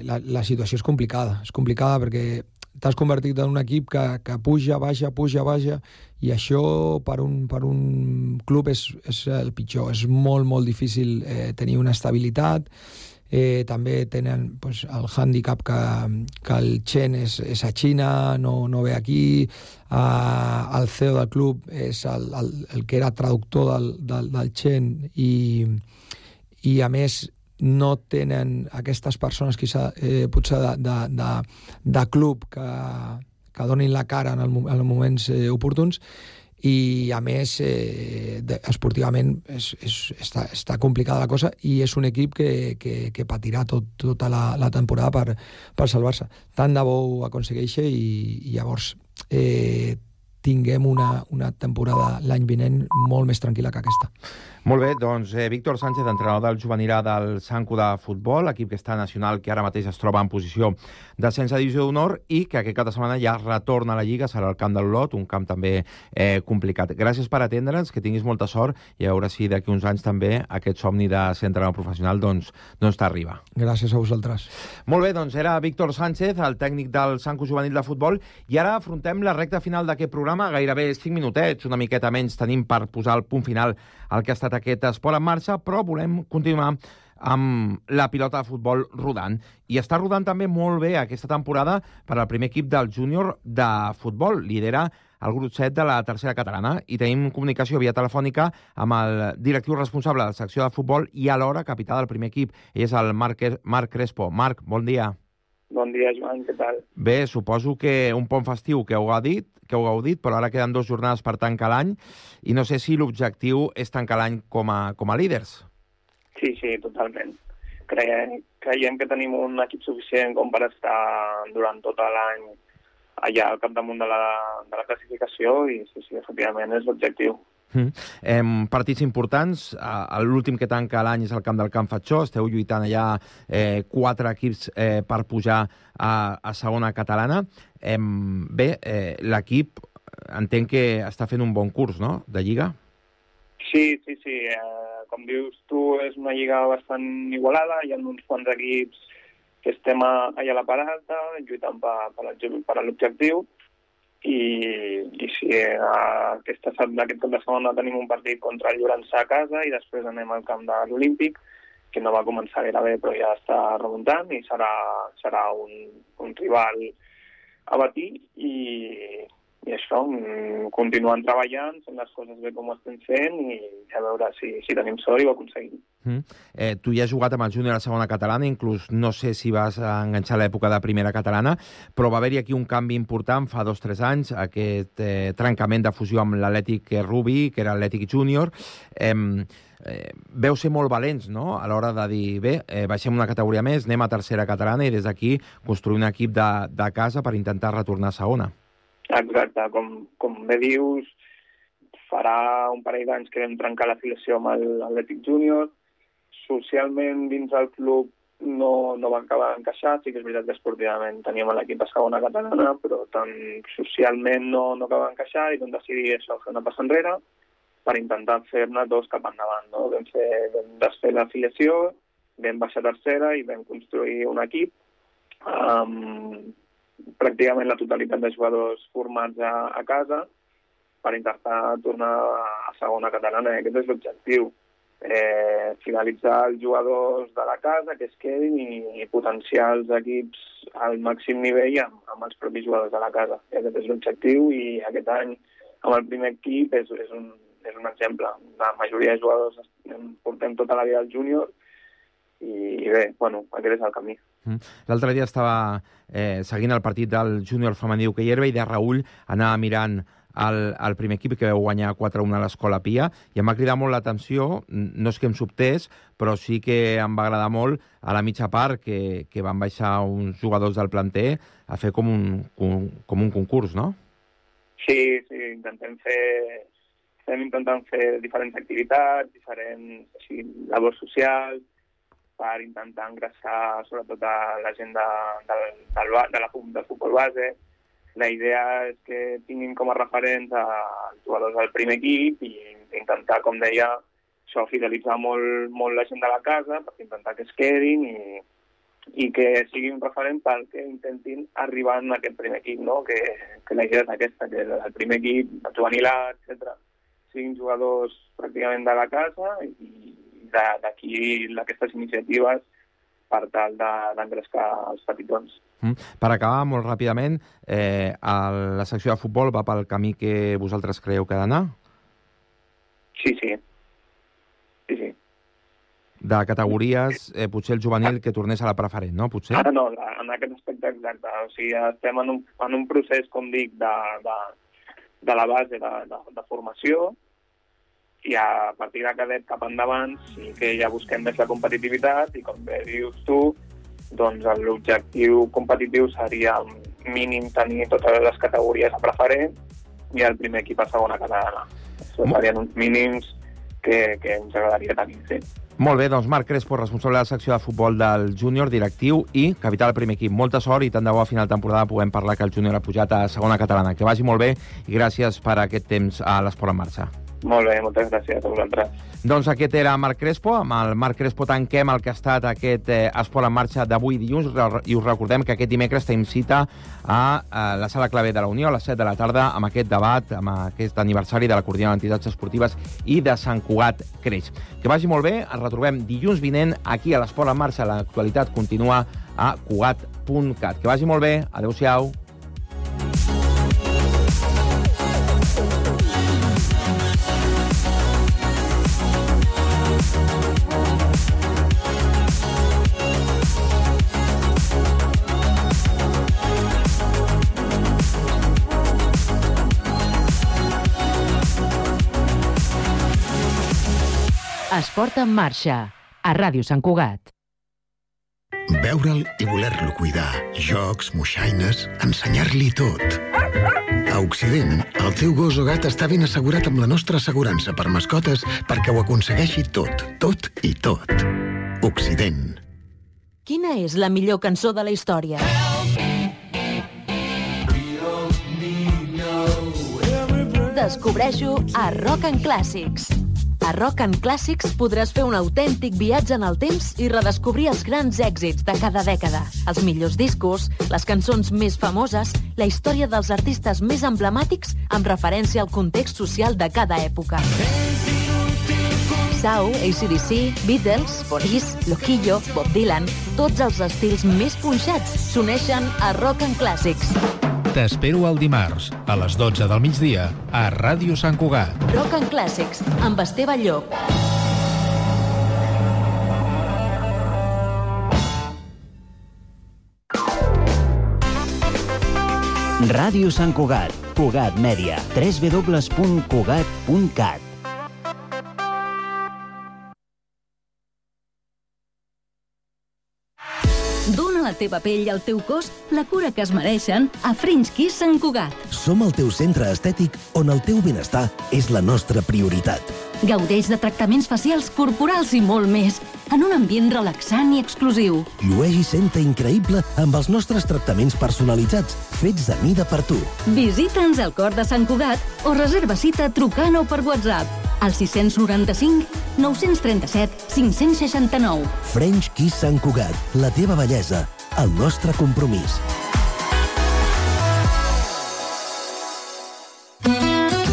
la situació és complicada perquè t'has convertit en un equip que puja, baixa, i això per un club és el pitjor. És molt difícil tenir una estabilitat. També tenen el hàndicap que el Chen és a Xina, no ve aquí. El CEO del club és el que era traductor del Chen, i a més no tenen aquestes persones potser de club que donin la cara en els moments oportuns, i a més esportivament està complicada la cosa i és un equip que patirà tota la temporada per salvar-se. Tant de bo ho aconsegueixi i llavors tinguem una temporada l'any vinent molt més tranquil·la que aquesta. Molt bé, doncs Víctor Sánchez, entrenador del juvenil A del Sant Cugat de futbol, equip que està nacional, que ara mateix es troba en posició d'ascens a divisió d'honor i que aquest cap de setmana ja retorna a la Lliga, serà el camp de l'Olot, un camp també complicat. Gràcies per atendre'ns, que tinguis molta sort i a veure si d'aquí uns anys també aquest somni de ser entrenador professional doncs t'arriba. Gràcies a vosaltres. Molt bé, doncs era Víctor Sánchez, el tècnic del Sant Cugat juvenil de futbol, i ara afrontem la recta final d'aquest programa, gairebé 5 minutets, una miqueta menys tenim per posar el punt final al que ha estat aquest esport en marxa, però volem continuar amb la pilota de futbol rodant. I està rodant també molt bé aquesta temporada per al primer equip del júnior de futbol. Lidera el grup 7 de la tercera catalana i tenim comunicació via telefònica amb el directiu responsable de la secció de futbol i alhora capità del primer equip. Ell és el Marc Crespo. Marc, bon dia. Bon dia, Joan, què tal? Bé, suposo que un pont festiu que heu gaudit, però ara queden 2 jornades per tancar l'any i no sé si l'objectiu és tancar l'any com a líders. Sí, totalment. Creiem que tenim un equip suficient com per estar durant tot l'any allà al capdamunt de la classificació i sí, efectivament és l'objectiu. Partits importants, l'últim que tanca l'any és el camp del Can Fatxó, esteu lluitant allà 4 equips per pujar a segona catalana. Bé, l'equip entenc que està fent un bon curs, no?, de Lliga? Sí. Com dius tu, és una Lliga bastant igualada, hi ha uns quants equips que estem allà a la part alta, lluitant per l'objectiu, i sí, aquest cap de setmana tenim un partit contra el Llorençà a casa i després anem al camp de l'Olímpic, que no va començar gaire bé però ja està remuntant i serà un rival a batir i això, continuant treballant, fent les coses bé com ho estem fent i a veure si tenim sort i ho aconseguim. Tu ja has jugat amb el júnior a segona catalana, inclús no sé si vas enganxar l'època de primera catalana, però va haver-hi aquí un canvi important fa 2 o 3 anys, aquest trencament de fusió amb l'Atlètic Rubí, que era l'Atlètic Júnior. Veu ser molt valents, no?, a l'hora de dir, bé, baixem una categoria més, anem a tercera catalana i des d'aquí construir un equip de casa per intentar retornar a segona. Exacte, com bé dius, farà un parell d'anys que vam trencar l'afiliació amb l'Atlètic Júnior. Socialment dins del club no va acabar d'encaixar, sí que és veritat que esportivament teníem l'equip a segona catalana, però tant socialment no acaba d'encaixar i vam decidir això, fer una passa enrere per intentar fer-ne 2 cap endavant. No? Vam desfer l'afiliació, vam baixar a tercera i vam construir un equip pràcticament la totalitat de jugadors formats a casa per intentar tornar a segona catalana. Aquest és l'objectiu. Finalitzar els jugadors de la casa que es quedin i potenciar els equips al màxim nivell amb els propis jugadors de la casa. Aquest és l'objectiu i aquest any amb el primer equip és un exemple. La majoria de jugadors portem tota la vida al júnior i bé, aquest és el camí. L'altre dia estava seguint el partit del júnior femení d'hoquei herba i de Raül anava mirant el primer equip que vau guanyar 4-1 a l'Escola Pia i em va cridar molt l'atenció, no és que em sobtés, però sí que em va agradar molt a la mitja part que van baixar uns jugadors del planter a fer com un concurs, no? Sí, estem intentant fer diferents activitats, diferents labors socials, per intentar engrescar sobretot a la gent del futbol base. La idea és que tinguin com a referents els jugadors del primer equip i intentar, com deia, això, fidelitzar molt la gent de la casa per intentar que es quedin i que sigui un referent perquè intentin arribar en aquest primer equip, no? Que la idea és aquesta, que el primer equip, el juvenil A, etc., siguin jugadors pràcticament de la casa i d'aquí aquestes iniciatives per tal d'engrescar els petitons. Per acabar, molt ràpidament, la secció de futbol va pel camí que vosaltres creieu que ha d'anar? Sí. De categories, potser el juvenil que tornés a la preferent, no? Potser? No, en aquest aspecte exacte. O sigui, estem en un procés, com dic, de la base de formació, i a partir de cadet cap endavant sí que ja busquem més la competitivitat i, com bé dius tu, doncs l'objectiu competitiu seria mínim tenir totes les categories a preferent i el primer equip a segona catalana. Això serien uns mínims que ens agradaria tenir, sí. Molt bé, doncs Marc Crespo, responsable de la secció de futbol del júnior, directiu i capità del primer equip. Molta sort i tant de bo a final de temporada puguem parlar que el júnior ha pujat a segona catalana. Que vagi molt bé i gràcies per aquest temps a l'Esport en Marxa. Molt bé, moltes gràcies a vosaltres. Doncs aquest era Marc Crespo. Amb el Marc Crespo tanquem el que ha estat aquest Esport en Marxa d'avui dilluns i us recordem que aquest dimecres tenim cita a la Sala Clavé de la Unió a les 7 de la tarda amb aquest debat, amb aquest aniversari de la Coordinadora d'Entitats Esportives i de Sant Cugat Creix. Que vagi molt bé, ens retrobem dilluns vinent aquí a l'Esport en Marxa. L'actualitat continua a cugat.cat. Que vagi molt bé, adeu-siau. Esport en Marxa, a Ràdio Sant Cugat. Veure'l i voler-lo cuidar. Jocs, moixaines, ensenyar-li tot. A Occident, el teu gos o gat està ben assegurat amb la nostra assegurança per mascotes perquè ho aconsegueixi tot, tot i tot. Occident. Quina és la millor cançó de la història? Descobreixo a Rock and Classics. A Rock and Classics podràs fer un autèntic viatge en el temps i redescobrir els grans èxits de cada dècada, els millors discos, les cançons més famoses, la història dels artistes més emblemàtics amb referència al context social de cada època. Sau, AC/DC, Beatles, Police, Loquillo, Bob Dylan, tots els estils més punxats s'uneixen a Rock and Classics. T'espero el dimarts, a les 12 del migdia, a Ràdio Sant Cugat. Rock and Classics, amb Esteve Llop. Ràdio Sant Cugat, Cugat Mèdia, www.cugat.cat. Dóna a la teva pell i al teu cos la cura que es mereixen a French Kiss Sant Cugat. Som el teu centre estètic on el teu benestar és la nostra prioritat. Gaudeix de tractaments facials, corporals i molt més, en un ambient relaxant i exclusiu. Llueix i senta increïble amb els nostres tractaments personalitzats, fets a mida per tu. Visita'ns al cor de Sant Cugat o reserva cita trucant o per WhatsApp al 695 937 569. French Kiss Sant Cugat, la teva bellesa, el nostre compromís.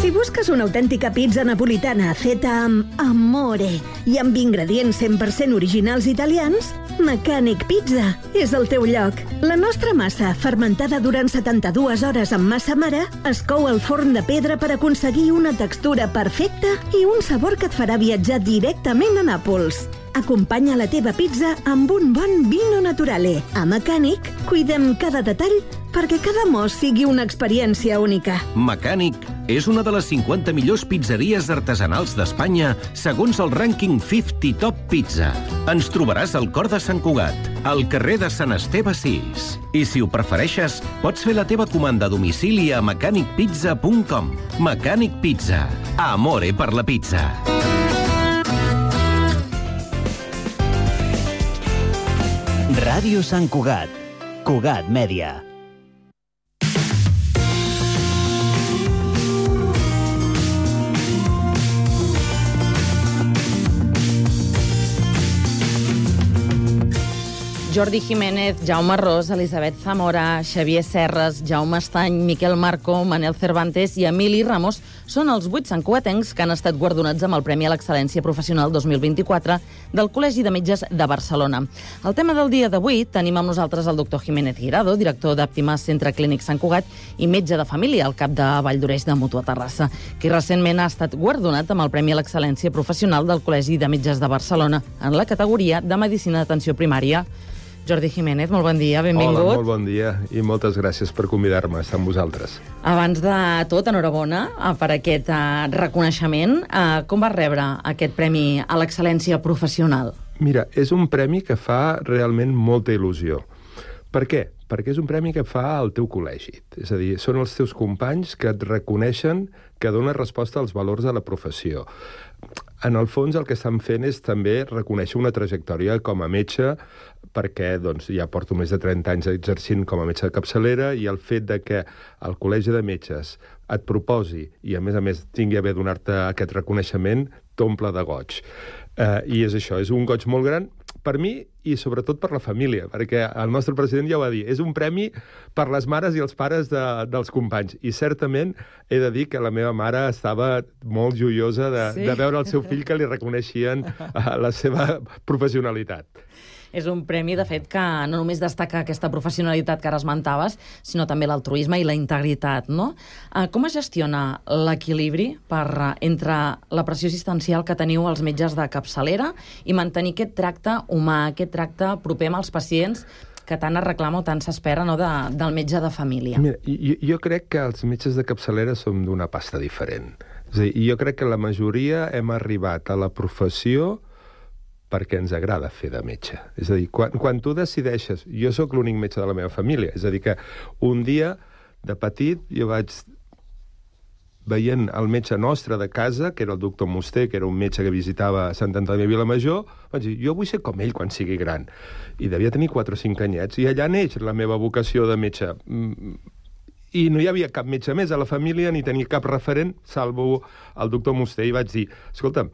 Si busques una autèntica pizza napolitana feta amb amore i amb ingredients 100% originals italians, Mechanic Pizza és el teu lloc. La nostra massa, fermentada durant 72 hores amb massa mare, es cou al forn de pedra per aconseguir una textura perfecta i un sabor que et farà viatjar directament a Nàpols. Acompanya la teva pizza amb un bon vino naturale. A Mechanic cuidem cada detall perquè cada mos sigui una experiència única. Mechanic és una de les 50 millors pizzeries artesanals d'Espanya segons el rànquing 50 Top Pizza. Ens trobaràs al cor de Sant Cugat, al carrer de Sant Esteve 6. I si ho prefereixes, pots fer la teva comanda a domicili a mechanicpizza.com. Mechanic Pizza. Amore per la pizza. Ràdio Sant Cugat, Cugat Mèdia. Jordi Jiménez, Jaume Ros, Elisabet Zamora, Xavier Serres, Jaume Estany, Miquel Marco, Manel Cervantes i Emili Ramos són els 8 santcugatencs que han estat guardonats amb el Premi a l'Excel·lència Professional 2024 del Col·legi de Metges de Barcelona. El tema del dia d'avui tenim amb nosaltres el doctor Jiménez Guirado, director d'Àptima Centre Clínic Sant Cugat i metge de família al cap de Valldoreix de Mutua Terrassa, que recentment ha estat guardonat amb el Premi a l'Excel·lència Professional del Col·legi de Metges de Barcelona en la categoria de Medicina d'Atenció Primària. Jordi Jiménez, molt bon dia, benvingut. Hola, molt bon dia i moltes gràcies per convidar-me a estar amb vosaltres. Abans de tot, enhorabona per aquest reconeixement. Com vas rebre aquest premi a l'excel·lència professional? Mira, és un premi que fa realment molta il·lusió. Per què? Perquè és un premi que fa al teu col·legi. És a dir, són els teus companys que et reconeixen que dones resposta als valors de la professió. En el fons, el que estan fent és també reconèixer una trajectòria com a metge, perquè doncs, ja porto més de 30 anys exercint com a metge de capçalera, i el fet de que el Col·legi de Metges et proposi i, a més, tingui a bé donar-te aquest reconeixement, t'omple de goig. I és això, és un goig molt gran per mi i sobretot per la família, perquè el nostre president ja ho va dir, és un premi per les mares i els pares dels companys. I certament he de dir que la meva mare estava molt joiosa de veure el seu fill que li reconeixien la seva professionalitat. És un premi, de fet, que no només destaca aquesta professionalitat que ara esmentaves, sinó també l'altruisme i la integritat, no? Com es gestiona l'equilibri entre la pressió assistencial que teniu els metges de capçalera i mantenir aquest tracte humà, aquest tracte proper amb els pacients que tant es reclama o tant s'espera, no, del metge de família? Mira, jo crec que els metges de capçalera som d'una pasta diferent. És a dir, jo crec que la majoria hem arribat a la professió perquè ens agrada fer de metge. És a dir, quan tu decideixes... Jo sóc l'únic metge de la meva família, és a dir, que un dia, de petit, jo vaig veient el metge nostre de casa, que era el doctor Musté, que era un metge que visitava Sant Antoni de Vilamajor, vaig dir, jo vull ser com ell quan sigui gran. I devia tenir 4 o 5 anyets, i allà neix la meva vocació de metge. I no hi havia cap metge més a la família, ni tenia cap referent, salvo el doctor Musté, i vaig dir, escolta'm,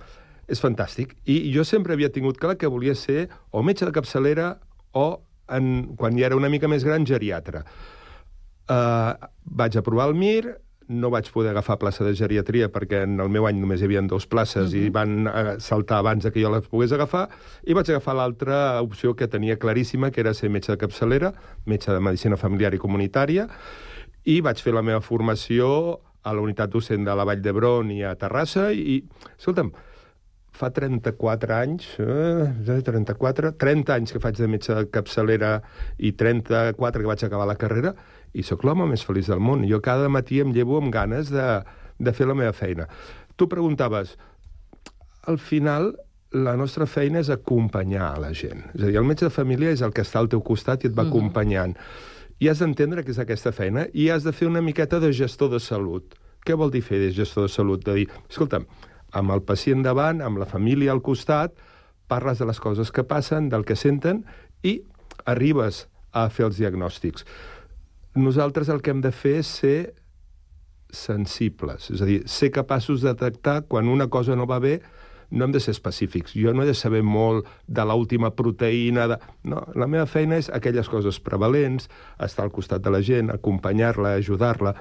és fantàstic. I jo sempre havia tingut clar que volia ser o metge de capçalera o, quan ja era una mica més gran, geriatre. Vaig aprovar el MIR, no vaig poder agafar plaça de geriatria perquè en el meu any només hi havia 2 places i van saltar abans que jo les pogués agafar, i vaig agafar l'altra opció que tenia claríssima, que era ser metge de capçalera, metge de medicina familiar i comunitària, i vaig fer la meva formació a la unitat docent de la Vall d'Hebron i a Terrassa, i, escolta'm, fa 34 anys, 30 anys que faig de metge de capçalera i 34 que vaig acabar la carrera, i sóc l'home més feliç del món. Jo cada matí em llevo amb ganes de fer la meva feina. Tu preguntaves, al final la nostra feina és acompanyar a la gent. És a dir, el metge de família és el que està al teu costat i et va acompanyant. I has d'entendre que és aquesta feina i has de fer una miqueta de gestor de salut. Què vol dir fer de gestor de salut? De dir, escolta'm, amb el pacient davant, amb la família al costat, parles de les coses que passen, del que senten, i arribes a fer els diagnòstics. Nosaltres el que hem de fer és ser sensibles, és a dir, ser capaços de detectar quan una cosa no va bé. No hem de ser específics. Jo no he de saber molt de l'última proteïna. No, la meva feina és aquelles coses prevalents, estar al costat de la gent, acompanyar-la, ajudar-la.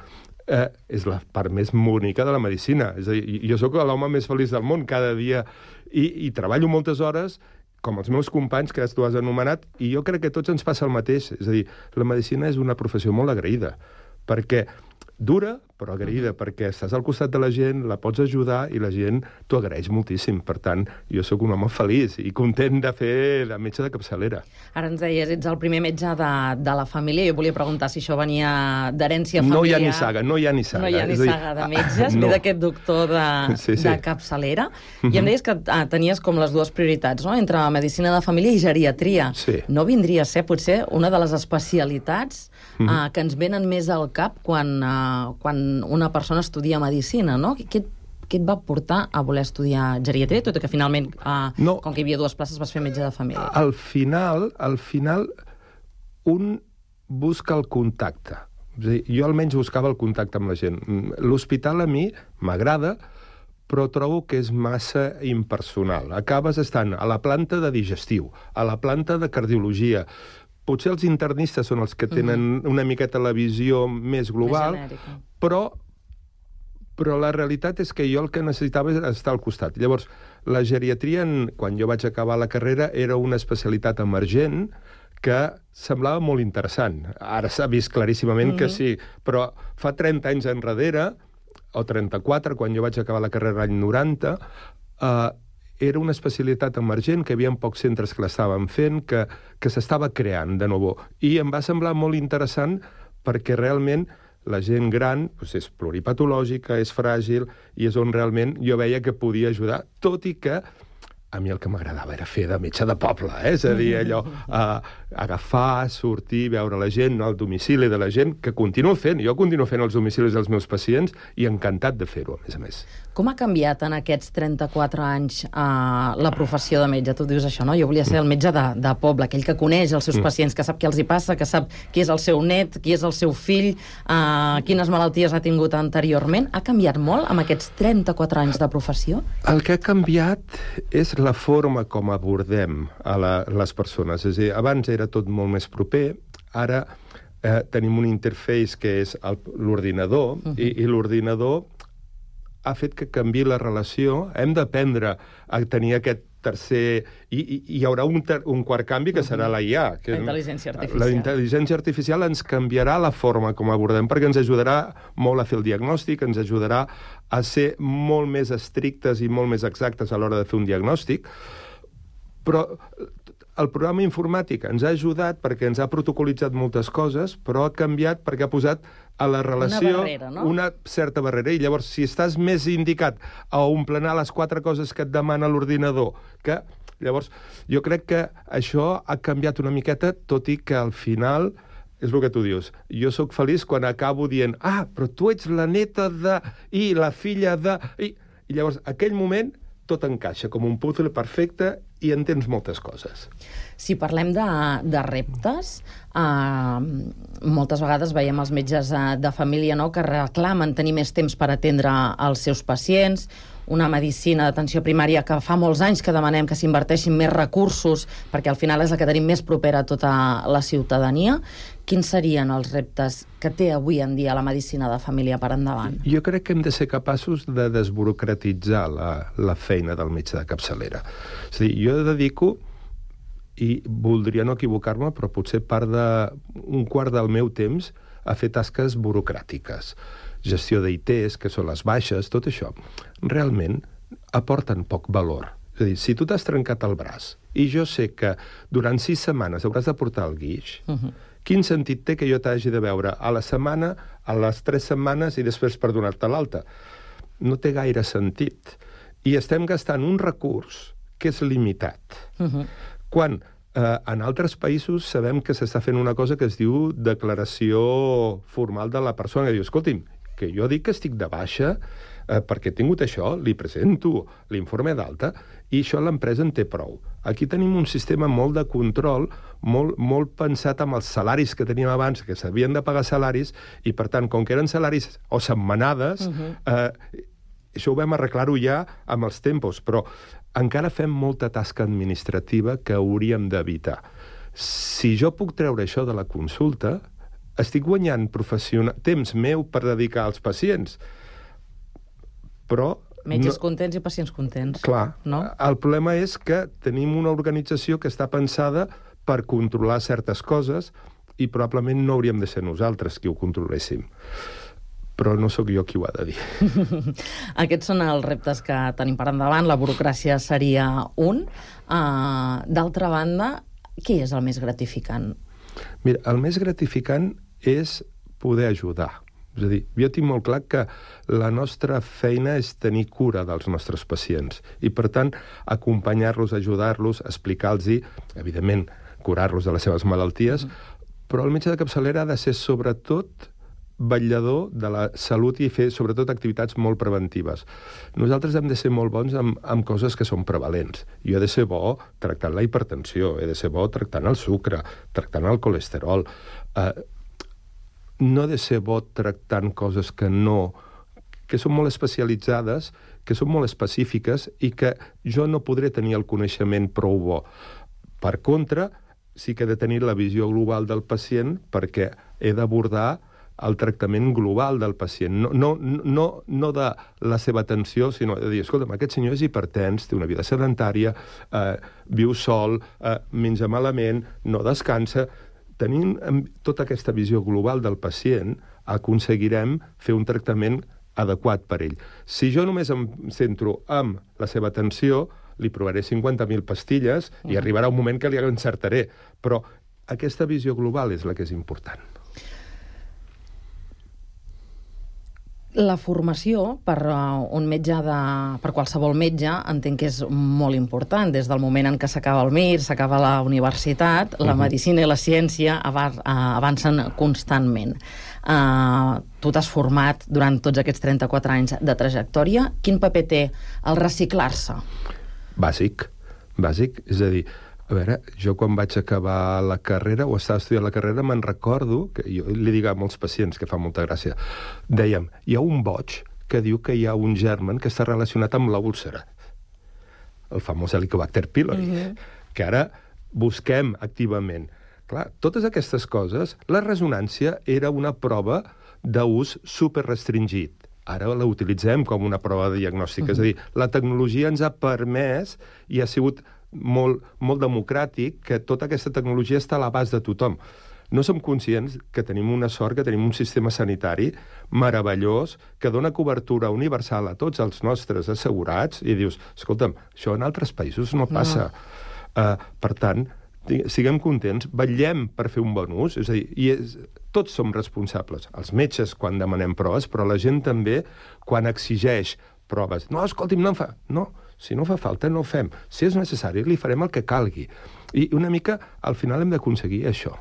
És la part més bonica de la medicina. És a dir, jo sóc l'home més feliç del món cada dia i treballo moltes hores, com els meus companys que tu has anomenat, i jo crec que a tots ens passa el mateix. És a dir, la medicina és una professió molt agraïda, perquè dura, però agraïda, perquè estàs al costat de la gent, la pots ajudar i la gent t'ho agraeix moltíssim. Per tant, jo sóc un home feliç i content de fer de metge de capçalera. Ara ens deies, ets el primer metge de la família. Jo volia preguntar si això venia d'herència familiar. No hi ha ni saga. No hi ha ni saga de metges, ve d'aquest doctor de capçalera. I em deies que tenies com les dues prioritats, no?, entre medicina de família i geriatria. No vindria a ser, potser, una de les especialitats que ens venen més al cap quan una persona estudia medicina, no? Què et va portar a voler estudiar geriatria, tot i que finalment, com que hi havia 2 places, vas fer metge de família? Al final, un busca el contacte. És a dir, jo almenys buscava el contacte amb la gent. L'hospital a mi m'agrada, però trobo que és massa impersonal. Acabes estant a la planta de digestiu, a la planta de cardiologia. Potser els internistes són els que tenen una miqueta la visió més global, però la realitat és que jo el que necessitava és estar al costat. Llavors, la geriatria, quan jo vaig acabar la carrera, era una especialitat emergent que semblava molt interessant. Ara s'ha vist claríssimament que sí, però fa 30 anys enrere, o 34, quan jo vaig acabar la carrera l'any 90, era una especialitat emergent, que hi havia pocs centres que l'estaven fent, que s'estava creant de nou. I em va semblar molt interessant perquè realment la gent gran és pluripatològica, és fràgil, i és on realment jo veia que podia ajudar, tot i que a mi el que m'agradava era fer de metge de poble, és a dir, allò, agafar, sortir, veure la gent, anar al domicili de la gent, que continuo fent. Jo continuo fent els domicilis dels meus pacients i encantat de fer-ho, a més. Com ha canviat en aquests 34 anys la professió de metge? Tu dius això, no? Jo volia ser el metge de poble, aquell que coneix els seus pacients, que sap què els hi passa, que sap qui és el seu net, qui és el seu fill, quines malalties ha tingut anteriorment. Ha canviat molt amb aquests 34 anys de professió? El que ha canviat és la forma com abordem a les persones. És a dir, abans era tot molt més proper, ara tenim un interface que és l'ordinador, i l'ordinador ha fet que canviï la relació. Hem d'aprendre a tenir aquest tercer... I hi haurà un quart canvi, que serà la IA. La intel·ligència artificial. La intel·ligència artificial ens canviarà la forma com abordem, perquè ens ajudarà molt a fer el diagnòstic, ens ajudarà a ser molt més estrictes i molt més exactes a l'hora de fer un diagnòstic, però el programa informàtic ens ha ajudat perquè ens ha protocolitzat moltes coses, però ha canviat perquè ha posat a la relació una certa barrera. I llavors, si estàs més indicat a omplenar les 4 coses que et demana l'ordinador, que llavors jo crec que això ha canviat una miqueta, tot i que al final és el que tu dius. Jo sóc feliç quan acabo dient però tu ets la neta de... i la filla de... I llavors, aquell moment, tot encaixa com un puzzle perfecte i entens moltes coses. Si parlem de reptes, moltes vegades veiem els metges de família que reclamen tenir més temps per atendre els seus pacients, una medicina d'atenció primària que fa molts anys que demanem que s'inverteixin més recursos perquè al final és la que tenim més propera a tota la ciutadania. Quins serien els reptes que té avui en dia la medicina de família per endavant? Jo crec que hem de ser capaços de desburocratitzar la feina del metge de capçalera. És a dir, jo dedico, i voldria no equivocar-me, però potser un quart del meu temps a fer tasques burocràtiques. Gestió d'ITs, que són les baixes, tot això, realment aporten poc valor. És a dir, si tu t'has trencat el braç i jo sé que durant 6 setmanes hauràs de portar el guix, quin sentit té que jo t'hagi de veure a la setmana, a les 3 setmanes i després per donar-te l'alta? No té gaire sentit. I estem gastant un recurs que és limitat. Quan en altres països sabem que s'està fent una cosa que es diu declaració formal de la persona, que diu, escolti'm, que jo dic que estic de baixa perquè he tingut això, li presento l'informe d'alta, i això l'empresa en té prou. Aquí tenim un sistema molt de control, molt pensat amb els salaris que teníem abans, que s'havien de pagar salaris, i per tant, com que eren salaris o setmanades, això ho vam arreglar-ho ja amb els tempos, però encara fem molta tasca administrativa que hauríem d'evitar. Si jo puc treure això de la consulta, estic guanyant temps meu per dedicar als pacients, però... Metges contents i pacients contents. Clar. El problema és que tenim una organització que està pensada per controlar certes coses i probablement no hauríem de ser nosaltres qui ho controléssim. Però no sóc jo qui ho ha de dir. Aquests són els reptes que tenim per endavant. La burocràcia seria un. D'altra banda, què és el més gratificant? Mira, el més gratificant és poder ajudar. És a dir, jo tinc molt clar que la nostra feina és tenir cura dels nostres pacients i, per tant, acompanyar-los, ajudar-los, explicar-los, evidentment, curar-los de les seves malalties, però el metge de capçalera ha de ser, sobretot, vetllador de la salut i fer, sobretot, activitats molt preventives. Nosaltres hem de ser molt bons amb coses que són prevalents. Jo he de ser bo tractant la hipertensió, he de ser bo tractant el sucre, tractant el colesterol. No he de ser bo tractant coses que són molt especialitzades, que són molt específiques i que jo no podré tenir el coneixement prou bo. Per contra, sí que he de tenir la visió global del pacient perquè he d'abordar el tractament global del pacient, no de la seva atenció, sinó de dir, escolta'm, aquest senyor és hipertens, té una vida sedentària, viu sol, menja malament, no descansa. Tenint tota aquesta visió global del pacient, aconseguirem fer un tractament adequat per ell. Si jo només em centro en la seva atenció, li provaré 50.000 pastilles i arribarà un moment que li encertaré. Però aquesta visió global és la que és important. La formació per un metge per qualsevol metge entenc que és molt important. Des del moment en què s'acaba el MIR, s'acaba la universitat, la medicina i la ciència avancen constantment. Tu t'has format durant tots aquests 34 anys de trajectòria. Quin paper té el reciclar-se? Bàsic. És a dir, a veure, jo quan vaig acabar la carrera, o estava estudiant la carrera, me'n recordo, que jo li dic a molts pacients, que fa molta gràcia, dèiem, hi ha un boig que diu que hi ha un germen que està relacionat amb la úlcera, el famós Helicobacter pylori, que ara busquem activament. Clar, totes aquestes coses, la resonància era una prova d'ús superrestringit. Ara la utilitzem com una prova diagnòstica. És a dir, la tecnologia ens ha permès i ha sigut molt democràtic que tota aquesta tecnologia està a l'abast de tothom. No som conscients que tenim una sort, que tenim un sistema sanitari meravellós, que dona cobertura universal a tots els nostres assegurats, i dius, escolta'm, això en altres països no passa. Per tant, siguem contents, vetllem per fer un bon ús, és a dir, tots som responsables, els metges quan demanem proves, però la gent també quan exigeix proves. No, escolti'm, no em fa... No, si no fa falta, no ho fem. Si és necessari, li farem el que calgui. I una mica, al final, hem d'aconseguir això.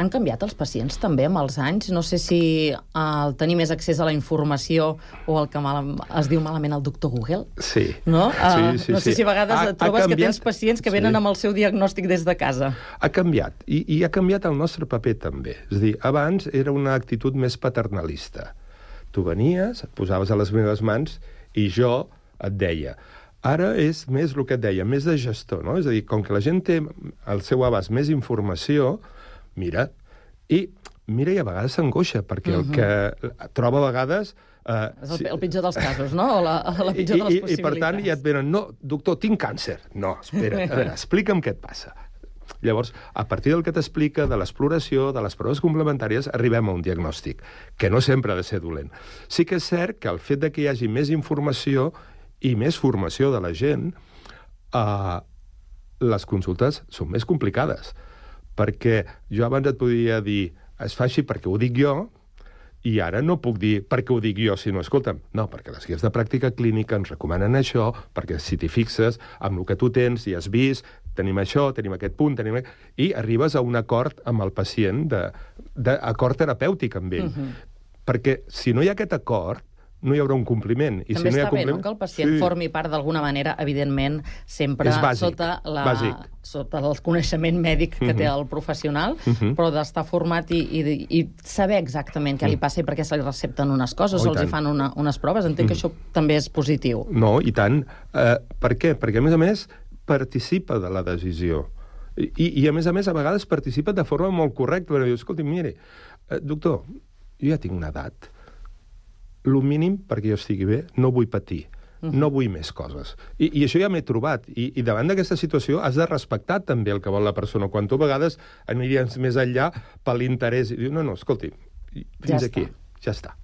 Han canviat els pacients també amb els anys? No sé si el tenir més accés a la informació o el que es diu malament el doctor Google. Sí. No? No sé si a vegades trobes que tens pacients que venen amb el seu diagnòstic des de casa. Ha canviat. I ha canviat el nostre paper també. És a dir, abans era una actitud més paternalista. Tu venies, et posaves a les meves mans i jo et deia... Ara és més el que et deia, més de gestor, no? És a dir, com que la gent té al seu abast més informació, mira, i a vegades s'angoixa, perquè el que troba a vegades... És el pitjor dels casos, no? O la pitjor de les possibilitats. I per tant, ja et venen, no, doctor, tinc càncer. No, espera, a veure, explica'm què et passa. Llavors, a partir del que t'explica, de l'exploració, de les proves complementàries, arribem a un diagnòstic, que no sempre ha de ser dolent. Sí que és cert que el fet de que hi hagi més informació i més formació de la gent, les consultes són més complicades. Perquè jo abans et podia dir, es fa així perquè ho dic jo, i ara no puc dir perquè ho dic jo, sinó, escolta'm, no, perquè les guies de pràctica clínica ens recomanen això, perquè si t'hi fixes amb el que tu tens i has vist, tenim això, tenim aquest punt, i arribes a un acord amb el pacient, d'acord terapèutic amb ell. Perquè si no hi ha aquest acord, no hi haurà un compliment. I també si no hi ha està bé, no?, que el pacient formi part d'alguna manera, evidentment, sempre sota el coneixement mèdic que té el professional, però d'estar format i saber exactament què li passa i per què se li recepten unes coses o els hi fan unes proves. Entenc que això també és positiu. No, i tant. Per què? Perquè, a més, participa de la decisió. I a més, a vegades participa de forma molt correcta. Perquè diu, escolti, mire, doctor, jo ja tinc una edat, el mínim perquè jo estigui bé, no vull patir, no vull més coses. I això ja m'he trobat. I davant d'aquesta situació has de respectar també el que vol la persona. Quan tu a vegades aniries més enllà per l'interès i dius, no, escolti, fins aquí, ja està.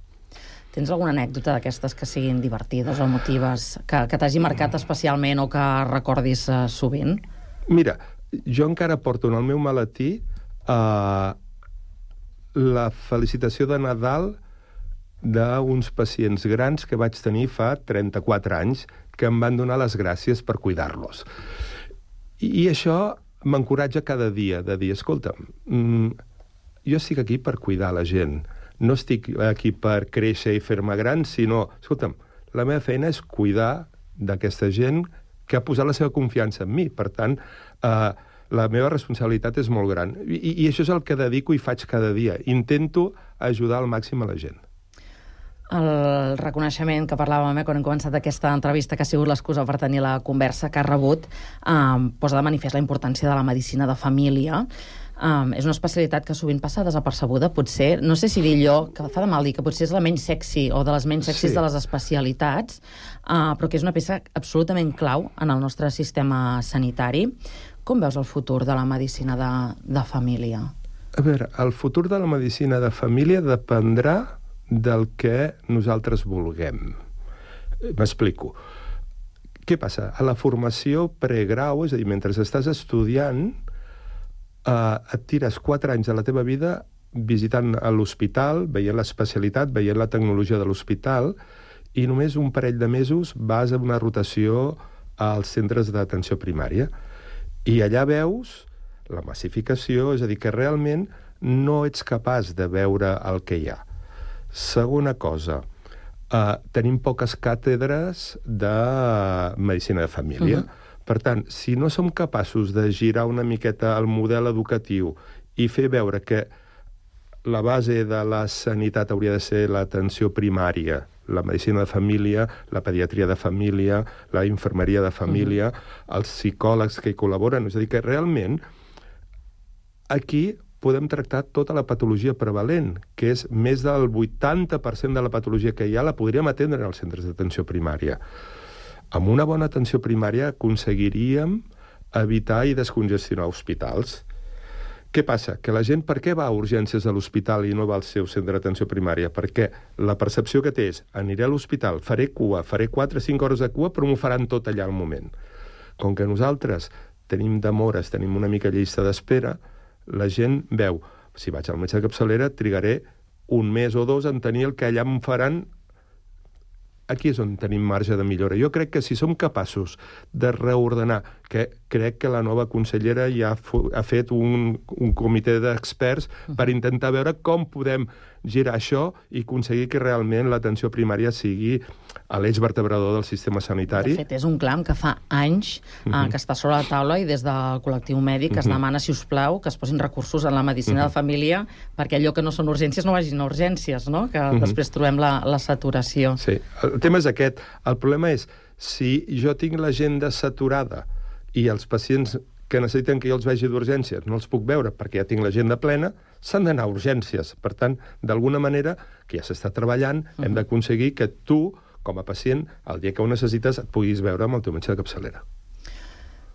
Tens alguna anècdota d'aquestes que siguin divertides o emotives, que t'hagi marcat especialment o que recordis sovint? Mira, jo encara porto en el meu maletí la felicitació de Nadal d'uns pacients grans que vaig tenir fa 34 anys que em van donar les gràcies per cuidar-los. I això m'encoratja cada dia de dir, escolta'm, jo estic aquí per cuidar la gent, no estic aquí per créixer i fer-me gran, sinó, escolta'm, la meva feina és cuidar d'aquesta gent que ha posat la seva confiança en mi. Per tant, la meva responsabilitat és molt gran. I això és el que dedico i faig cada dia. Intento ajudar al màxim a la gent. El reconeixement que parlàvem quan hem començat aquesta entrevista, que ha sigut l'excusa per tenir la conversa que ha rebut, posa de manifest la importància de la medicina de família. És una especialitat que sovint passa desapercebuda, potser, no sé si dir allò, que fa de mal dir, que potser és la menys sexy o de les menys sexys de les especialitats, però que és una peça absolutament clau en el nostre sistema sanitari. Com veus el futur de la medicina de família? A veure, el futur de la medicina de família dependrà del que nosaltres vulguem. M'explico. Què passa? A la formació pregrau, és a dir, mentre estàs estudiant, et tires 4 anys de la teva vida visitant a l'hospital, veient l'especialitat, veient la tecnologia de l'hospital, i només un parell de mesos vas a una rotació als centres d'atenció primària. I allà veus la massificació, és a dir, que realment no ets capaç de veure el que hi ha. Segona cosa, tenim poques càtedres de medicina de família. Per tant, si no som capaços de girar una miqueta el model educatiu i fer veure que la base de la sanitat hauria de ser l'atenció primària, la medicina de família, la pediatria de família, la infermeria de família, els psicòlegs que hi col·laboren. És a dir, que realment aquí podem tractar tota la patologia prevalent, que és més del 80% de la patologia que hi ha, la podríem atendre en els centres d'atenció primària. Amb una bona atenció primària aconseguiríem evitar i descongestionar hospitals. Què passa? Que la gent per què va a urgències de l'hospital i no va al seu centre d'atenció primària? Perquè la percepció que té és aniré a l'hospital, faré cua, faré 4 o 5 hores de cua, però m'ho faran tot allà al moment. Com que nosaltres tenim demores, tenim una mica llista d'espera, la gent veu, si vaig al metge de capçalera, trigaré 1 mes o 2 en tenir el que allà em faran. Aquí és on tenim marge de millora. Jo crec que si som capaços de reordenar, que crec que la nova consellera ja ha fet un comitè d'experts per intentar veure com podem girar això i aconseguir que realment l'atenció primària sigui a l'eix vertebrador del sistema sanitari. De fet, és un clam que fa anys que està sobre la taula i des del col·lectiu mèdic es demana, si us plau, que es posin recursos en la medicina de família perquè allò que no són urgències no vagin a urgències, no? Que després trobem la saturació. Sí, el tema és aquest. El problema és, si jo tinc l'agenda saturada i els pacients que necessiten que jo els vegi d'urgències no els puc veure perquè ja tinc l'agenda plena, s'han d'anar a urgències. Per tant, d'alguna manera, que ja s'està treballant, hem d'aconseguir que tu, com a pacient, el dia que ho necessites, et puguis veure amb el teu metge de capçalera.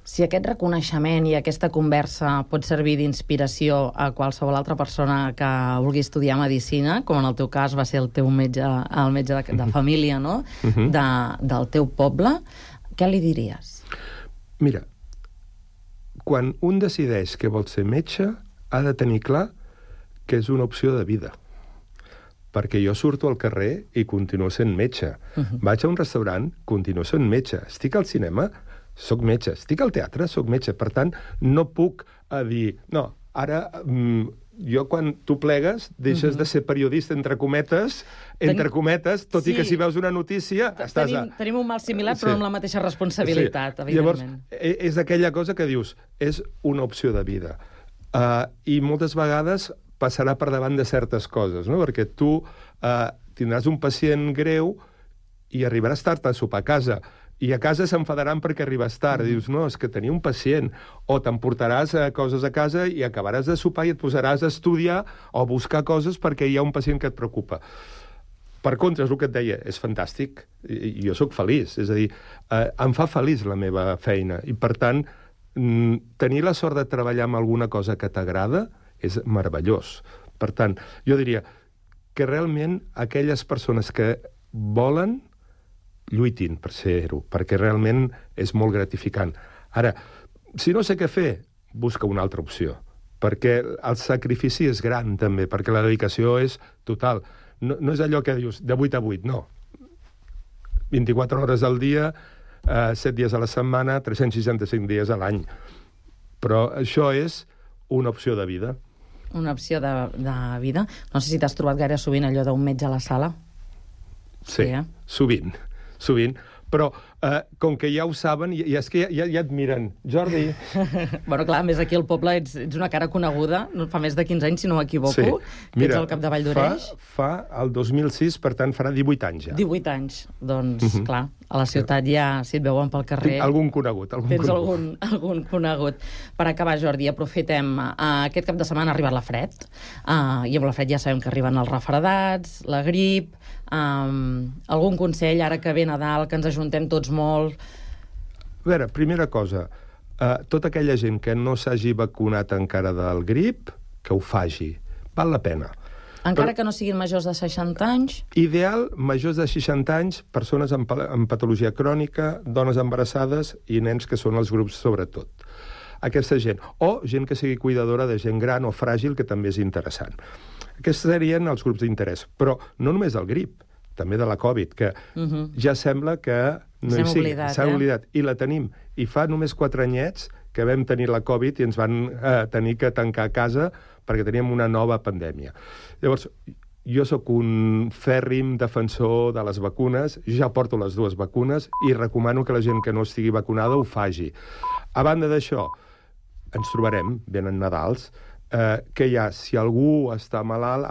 Si aquest reconeixement i aquesta conversa pot servir d'inspiració a qualsevol altra persona que vulgui estudiar medicina, com en el teu cas va ser el teu metge, el metge de família, no? Del teu poble, què li diries? Mira, quan un decideix que vol ser metge, ha de tenir clar que és una opció de vida. Perquè jo surto al carrer i continuo sent metge. Vaig a un restaurant, continuo sent metge. Estic al cinema, soc metge. Estic al teatre, soc metge. Per tant, no puc dir... No, ara... Jo, quan tu plegues, deixes de ser periodista, entre cometes, tot i que si veus una notícia... Tenim un mal similar, però amb la mateixa responsabilitat, evidentment. Llavors, és aquella cosa que dius, és una opció de vida. I moltes vegades passarà per davant de certes coses, no? Perquè tu tindràs un pacient greu i arribaràs tard a sopar a casa, i a casa s'enfadaran perquè arribes tard. Dius, no, és que tenia un pacient. O t'emportaràs coses a casa i acabaràs de sopar i et posaràs a estudiar o a buscar coses perquè hi ha un pacient que et preocupa. Per contra, és el que et deia, és fantàstic. I jo sóc feliç. És a dir, em fa feliç la meva feina. I, per tant, tenir la sort de treballar amb alguna cosa que t'agrada és meravellós. Per tant, jo diria que realment aquelles persones que volen lluitin per ser-ho, perquè realment és molt gratificant. Ara, si no sé què fer, busca una altra opció, perquè el sacrifici és gran, també, perquè la dedicació és total. No és allò que dius, de 8 a 8, no. 24 hores al dia, 7 dies a la setmana, 365 dies a l'any. Però això és una opció de vida. Una opció de vida. No sé si t'has trobat gaire sovint allò d'un metge a la sala. Sí, sovint. Però com que ja ho saben, i és que ja et miren. Jordi... Bueno, clar, més aquí al poble ets una cara coneguda, fa més de 15 anys, si no m'equivoco, que ets al capdavall d'Oreix. Fa el 2006, per tant, farà 18 anys ja. 18 anys. Doncs, clar, a la ciutat ja, si et veuen pel carrer... Algun conegut. Tens algun conegut. Per acabar, Jordi, aprofitem. Aquest cap de setmana ha arribat la fred, i amb la fred ja sabem que arriben els refredats, la grip... algun consell, ara que ve Nadal, que ens ajuntem tots molt? A veure, primera cosa, tota aquella gent que no s'hagi vacunat encara del grip, que ho faci. Val la pena. Encara que no siguin majors de 60 anys? Ideal, majors de 60 anys, persones amb patologia crònica, dones embarassades i nens que són els grups sobretot. Aquesta gent. O gent que sigui cuidadora de gent gran o fràgil, que també és interessant. Aquests serien els grups d'interès. Però no només del grip, també de la Covid, que ja sembla que no hi sigui. S'ha oblidat. I la tenim. I fa només 4 anyets que vam tenir la Covid i ens van tenir que tancar a casa perquè teníem una nova pandèmia. Llavors, jo sóc un fèrrim defensor de les vacunes, ja porto les 2 vacunes i recomano que la gent que no estigui vacunada ho faci. A banda d'això, ens trobarem, venen Nadals, que si algú està malalt,